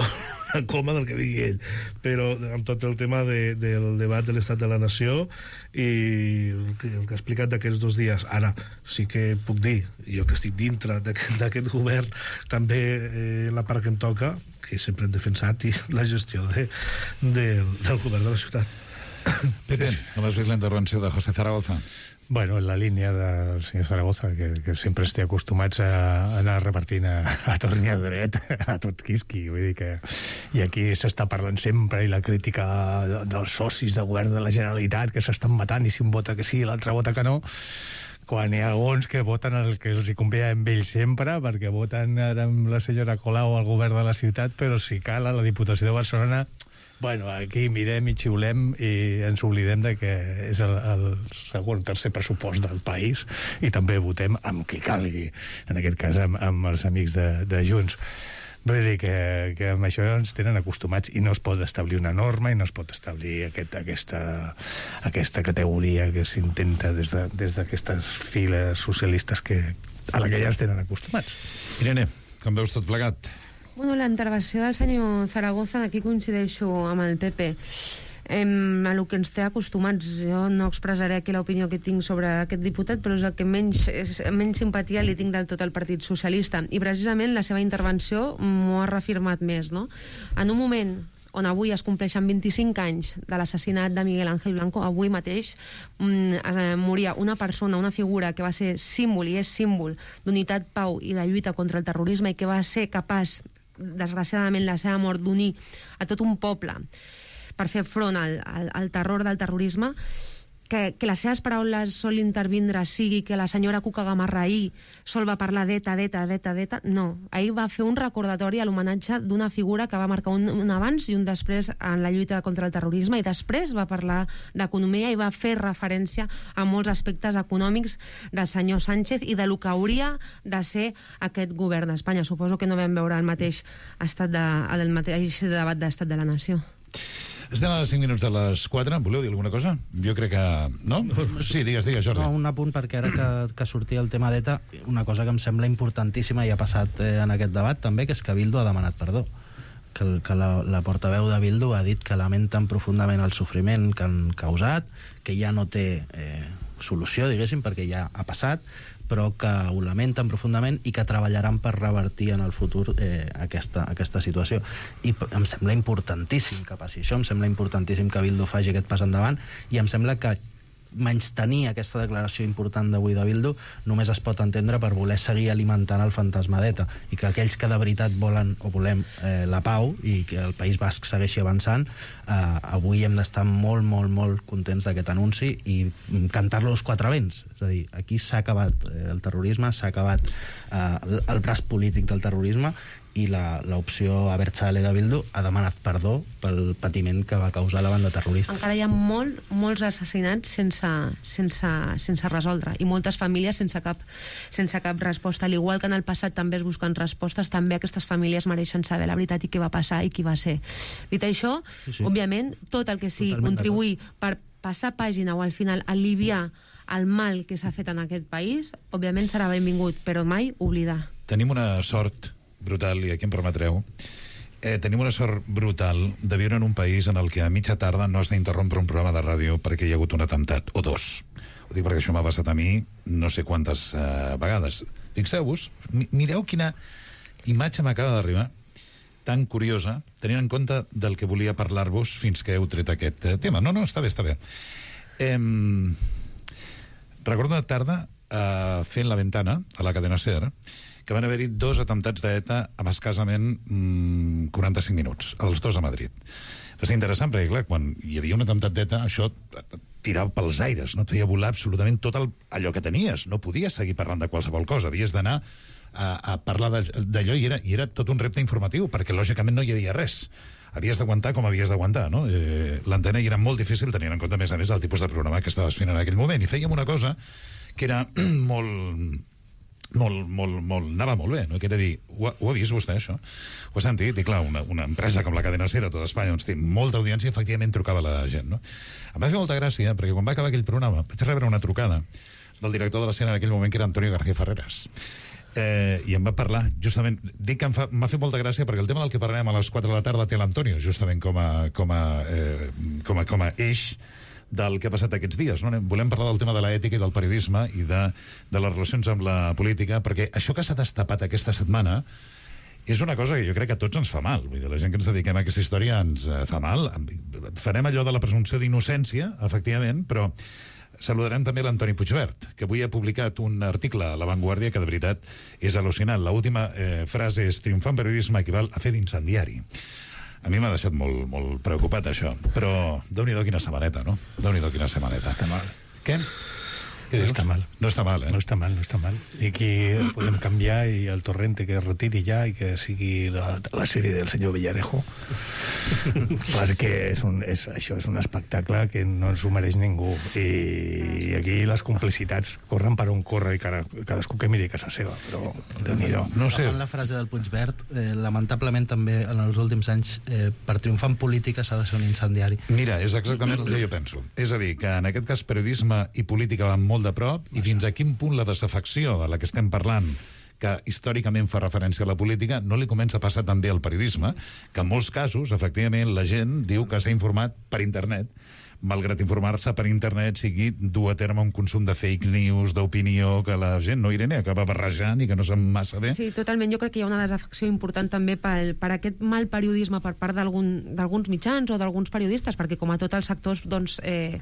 el coma del que digui ell. Però amb tot el tema de, del debat de l'estat de la nació i el que, el que ha explicat d'aquests dos dies, ara sí que puc dir, jo que estic dintre d'aquest govern, també eh, la part que em toca, que sempre hem defensat, i la gestió de, de, del govern de la ciutat. Pepe, com has vist la intervenció de José Zaragoza? Bueno, en la línia del senyor Zaragoza, que, que sempre estem acostumats a anar repartint a, a torn i a dret, a tot quisqui, vull dir que... I aquí s'està parlant sempre, i la crítica de, dels socis de govern de la Generalitat, que s'estan matant, i si un vota que sí, l'altre vota que no, quan hi ha alguns que voten el que els hi convé amb ells sempre, perquè voten ara amb la senyora Colau al govern de la ciutat, però si cal a la Diputació de Barcelona Bueno, aquí mirem i xiulem i ens oblidem de que és el, el segon, tercer pressupost del país i també votem amb qui calgui, en aquest cas amb, amb els amics de, de Junts. Vull dir que, que amb això ens tenen acostumats i no es pot establir una norma i no es pot establir aquest, aquesta, aquesta categoria que s'intenta des de, des d'aquestes files socialistes que, a la que ja ens tenen acostumats. Irene, com veus tot plegat? Bueno, la intervenció del senyor Zaragoza, aquí coincideixo amb el P P. Em, a el que ens té acostumats. Jo no expressaré aquí l'opinió que tinc sobre aquest diputat, però és el que menys, és, menys simpatia li tinc del tot al Partit Socialista. I precisament la seva intervenció m'ho ha reafirmat més, no? En un moment on avui es compleixen vint-i-cinc anys de l'assassinat de Miguel Ángel Blanco, avui mateix mm, eh, moria una persona, una figura que va ser símbol i és símbol d'unitat, pau i de lluita contra el terrorisme i que va ser capaç, desgraciadament, la seva mort d'unir a tot un poble per fer front al, al, al terror del terrorisme, que, que les seves paraules sol intervindre sigui que la senyora Cuca Gamarra ahir sol va parlar d'ETA, d'ETA, d'ETA, d'ETA. No, ahir va fer un recordatori a l'homenatge d'una figura que va marcar un, un abans i un després en la lluita contra el terrorisme i després va parlar d'economia i va fer referència a molts aspectes econòmics del senyor Sánchez i de lo que hauria de ser aquest govern d'Espanya. Suposo que no vam veure el mateix, estat de, el mateix debat d'estat de la nació. Estem a cinc minuts de les quatre. Voleu dir alguna cosa? Jo crec que... No? Sí, digues, digues, Jordi. No, un apunt, perquè ara que, que sortia el tema d'ETA, una cosa que em sembla importantíssima i ha passat eh, en aquest debat també, que és que Bildu ha demanat perdó. Que, el, que la, la portaveu de Bildu ha dit que lamenten profundament el sofriment que han causat, que ja no té eh, solució, diguéssim, perquè ja ha passat, però que ho lamenten profundament i que treballaran per revertir en el futur eh, aquesta, aquesta situació. I em sembla importantíssim que passi això, em sembla importantíssim que Bildu faci aquest pas endavant i em sembla que menystenir aquesta declaració important d'avui de Bildu només es pot entendre per voler seguir alimentant el fantasma d'ETA i que aquells que de veritat volen o volem eh, la pau i que el País Basc segueixi avançant, eh, avui hem d'estar molt, molt, molt contents d'aquest anunci i cantar-lo als quatre vents. És a dir, aquí s'ha acabat eh, el terrorisme, s'ha acabat eh, el braç polític del terrorisme i l'opció Abertzale de Bildu ha demanat perdó pel patiment que va causar la banda terrorista. Encara hi ha molt, molts assassinats sense, sense, sense resoldre i moltes famílies sense cap, sense cap resposta. Al igual que en el passat també es busquen respostes, també aquestes famílies mereixen saber la veritat i què va passar i qui va ser. Dit això, sí, sí. òbviament, tot el que sigui contribuir per passar pàgina o al final aliviar el mal que s'ha fet en aquest país, òbviament serà benvingut, però mai oblidar. Tenim una sort brutal, i aquí em permetreu, eh, tenim una sort brutal de viure en un país en el que a mitja tarda no has d'interrompre un programa de ràdio perquè hi ha hagut un atemptat, o dos. Ho dic perquè això m'ha passat a mi no sé quantes eh, vegades. Fixeu-vos, mi mireu quina imatge m'acaba d'arribar, tan curiosa, tenint en compte del que volia parlar-vos fins que heu tret aquest eh, tema. No, no, està bé, està bé. Eh, recordo una tarda eh, fent La Ventana, a la cadena SER, que van haver-hi dos atemptats d'ETA amb escassament mmm, quaranta-cinc minuts, els dos a Madrid. Va ser interessant, perquè, clar, quan hi havia un atemptat d'ETA, això tirava pels aires, no et feia volar absolutament tot el, allò que tenies. No podies seguir parlant de qualsevol cosa, havies d'anar a, a parlar d'allò, i era, i era tot un repte informatiu, perquè, lògicament, no hi havia res. Havies d'aguantar com havies d'aguantar, no? Eh, l'antena hi era molt difícil, tenint en compte, a més a més, el tipus de programa que estaves fent en aquell moment. I fèiem una cosa que era molt... molt, molt, molt, anava molt bé, no? Que era dir, ho ha, ho ha vist vostè, això? Ho ha sentit? I clar, una, una empresa com la cadena SER a tota Espanya, on té molta audiència, efectivament trucava la gent, no? Em va fer molta gràcia, perquè quan va acabar aquell programa vaig rebre una trucada del director de la SER en aquell moment, que era Antonio García Ferreras. Eh, i em va parlar, justament, dic que m'ha fet molta gràcia perquè el tema del que parlarem a les quatre de la tarda té l'Antonio, justament com a, com a, eh, com a, com a eix del que ha passat aquests dies, no? Volem parlar del tema de l'ètica i del periodisme i de, de les relacions amb la política, perquè això que s'ha destapat aquesta setmana és una cosa que jo crec que a tots ens fa mal. Vull dir, la gent que ens dediquem a aquesta història ens eh, fa mal. Farem allò de la presumpció d'innocència, efectivament, però saludarem també l'Antoni Puigvert, que avui ha publicat un article a La Vanguardia que de veritat és al·lucinant. L'última eh, frase és: triomfar en periodisme equival a fer d'incendiari. A mi m'ha deixat molt, molt preocupat, això. Però Déu-n'hi-do quina setmaneta, no? Déu-n'hi-do quina setmaneta. Està mal. Què? Què Què no dius? està mal. No està mal, eh? No està mal, no està mal. I aquí podem canviar i el Torrente que es retiri ja i que sigui la, la sèrie del senyor Villarejo. Perquè és un, és, això és un espectacle que no s'ho mereix ningú. I aquí les complicitats corren per on corre i cada, cadascú que miri a casa seva. Però, Déu-n'hi-do. No sé. La frase del Puigverd, eh, lamentablement també en els últims anys, eh, per triomfar en política s'ha de ser un incendiari. Mira, és exactament el que jo penso. És a dir, que en aquest cas periodisme i política van molt de prop, i fins a quin punt la desafecció de la que estem parlant, que històricament fa referència a la política, no li comença a passar també al periodisme, que en molts casos, efectivament, la gent diu que s'ha informat per internet, malgrat informar-se per internet sigui dur a terme un consum de fake news, d'opinió, que la gent, no, Irene, acaba barrejant i que no sap massa bé. Sí, totalment. Jo crec que hi ha una desafecció important també per, per aquest mal periodisme per part d'alguns algun, mitjans o d'alguns periodistes, perquè com a tots els sectors, doncs, eh,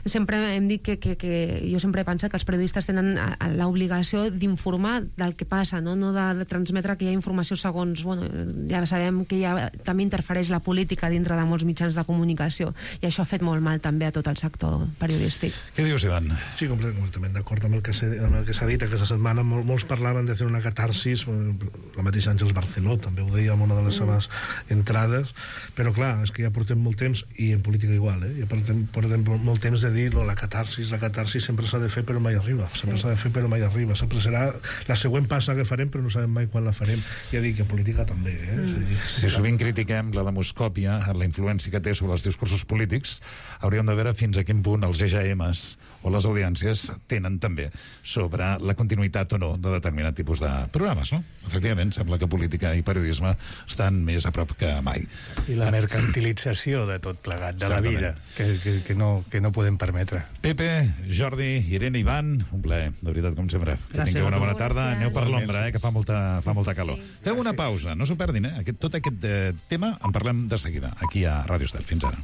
sempre hem dit que, que, que jo sempre he pensat que els periodistes tenen l'obligació d'informar del que passa, no, no de, de transmetre que hi ha informació segons, bueno, ja sabem que ja també interfereix la política dintre de molts mitjans de comunicació, i això ha fet molt mal també a tot el sector periodístic. Què dius, Ivan? Sí, completament d'acord amb el que s'ha dit aquesta setmana. Mol, molts parlaven de fer una catarsis, la mateixa Àngels Barceló també ho deia en una de les seves entrades, però clar, és que ja portem molt temps, i en política igual, eh? ja portem, portem molt temps de dir no, la catarsis, la catarsis sempre s'ha de fer però mai arriba, sempre s'ha de fer però mai arriba, sempre serà la següent passa que farem però no sabem mai quan la farem. Ja dic que en política també. Eh? Mm. Si sovint critiquem la demoscòpia, la influència que té sobre els discursos polítics, hauríem de veure fins a quin punt els E G Ms o les audiències tenen també sobre la continuïtat o no de determinat tipus de programes, no? Efectivament, sembla que política i periodisme estan més a prop que mai. I la mercantilització de tot plegat, de la vida, que, que, que, no, que no podem permetre. Pepe, Jordi, Irene, Ivan, un plaer, de veritat, com sempre. Que Gràcies. tingueu una bona tarda. Gràcies. Aneu per l'ombra, eh, que fa molta, fa molta calor. Sí. Feu una pausa, no s'ho perdin, eh? Aquest, tot aquest eh, tema en parlem de seguida, aquí a Ràdio Estel. Fins ara.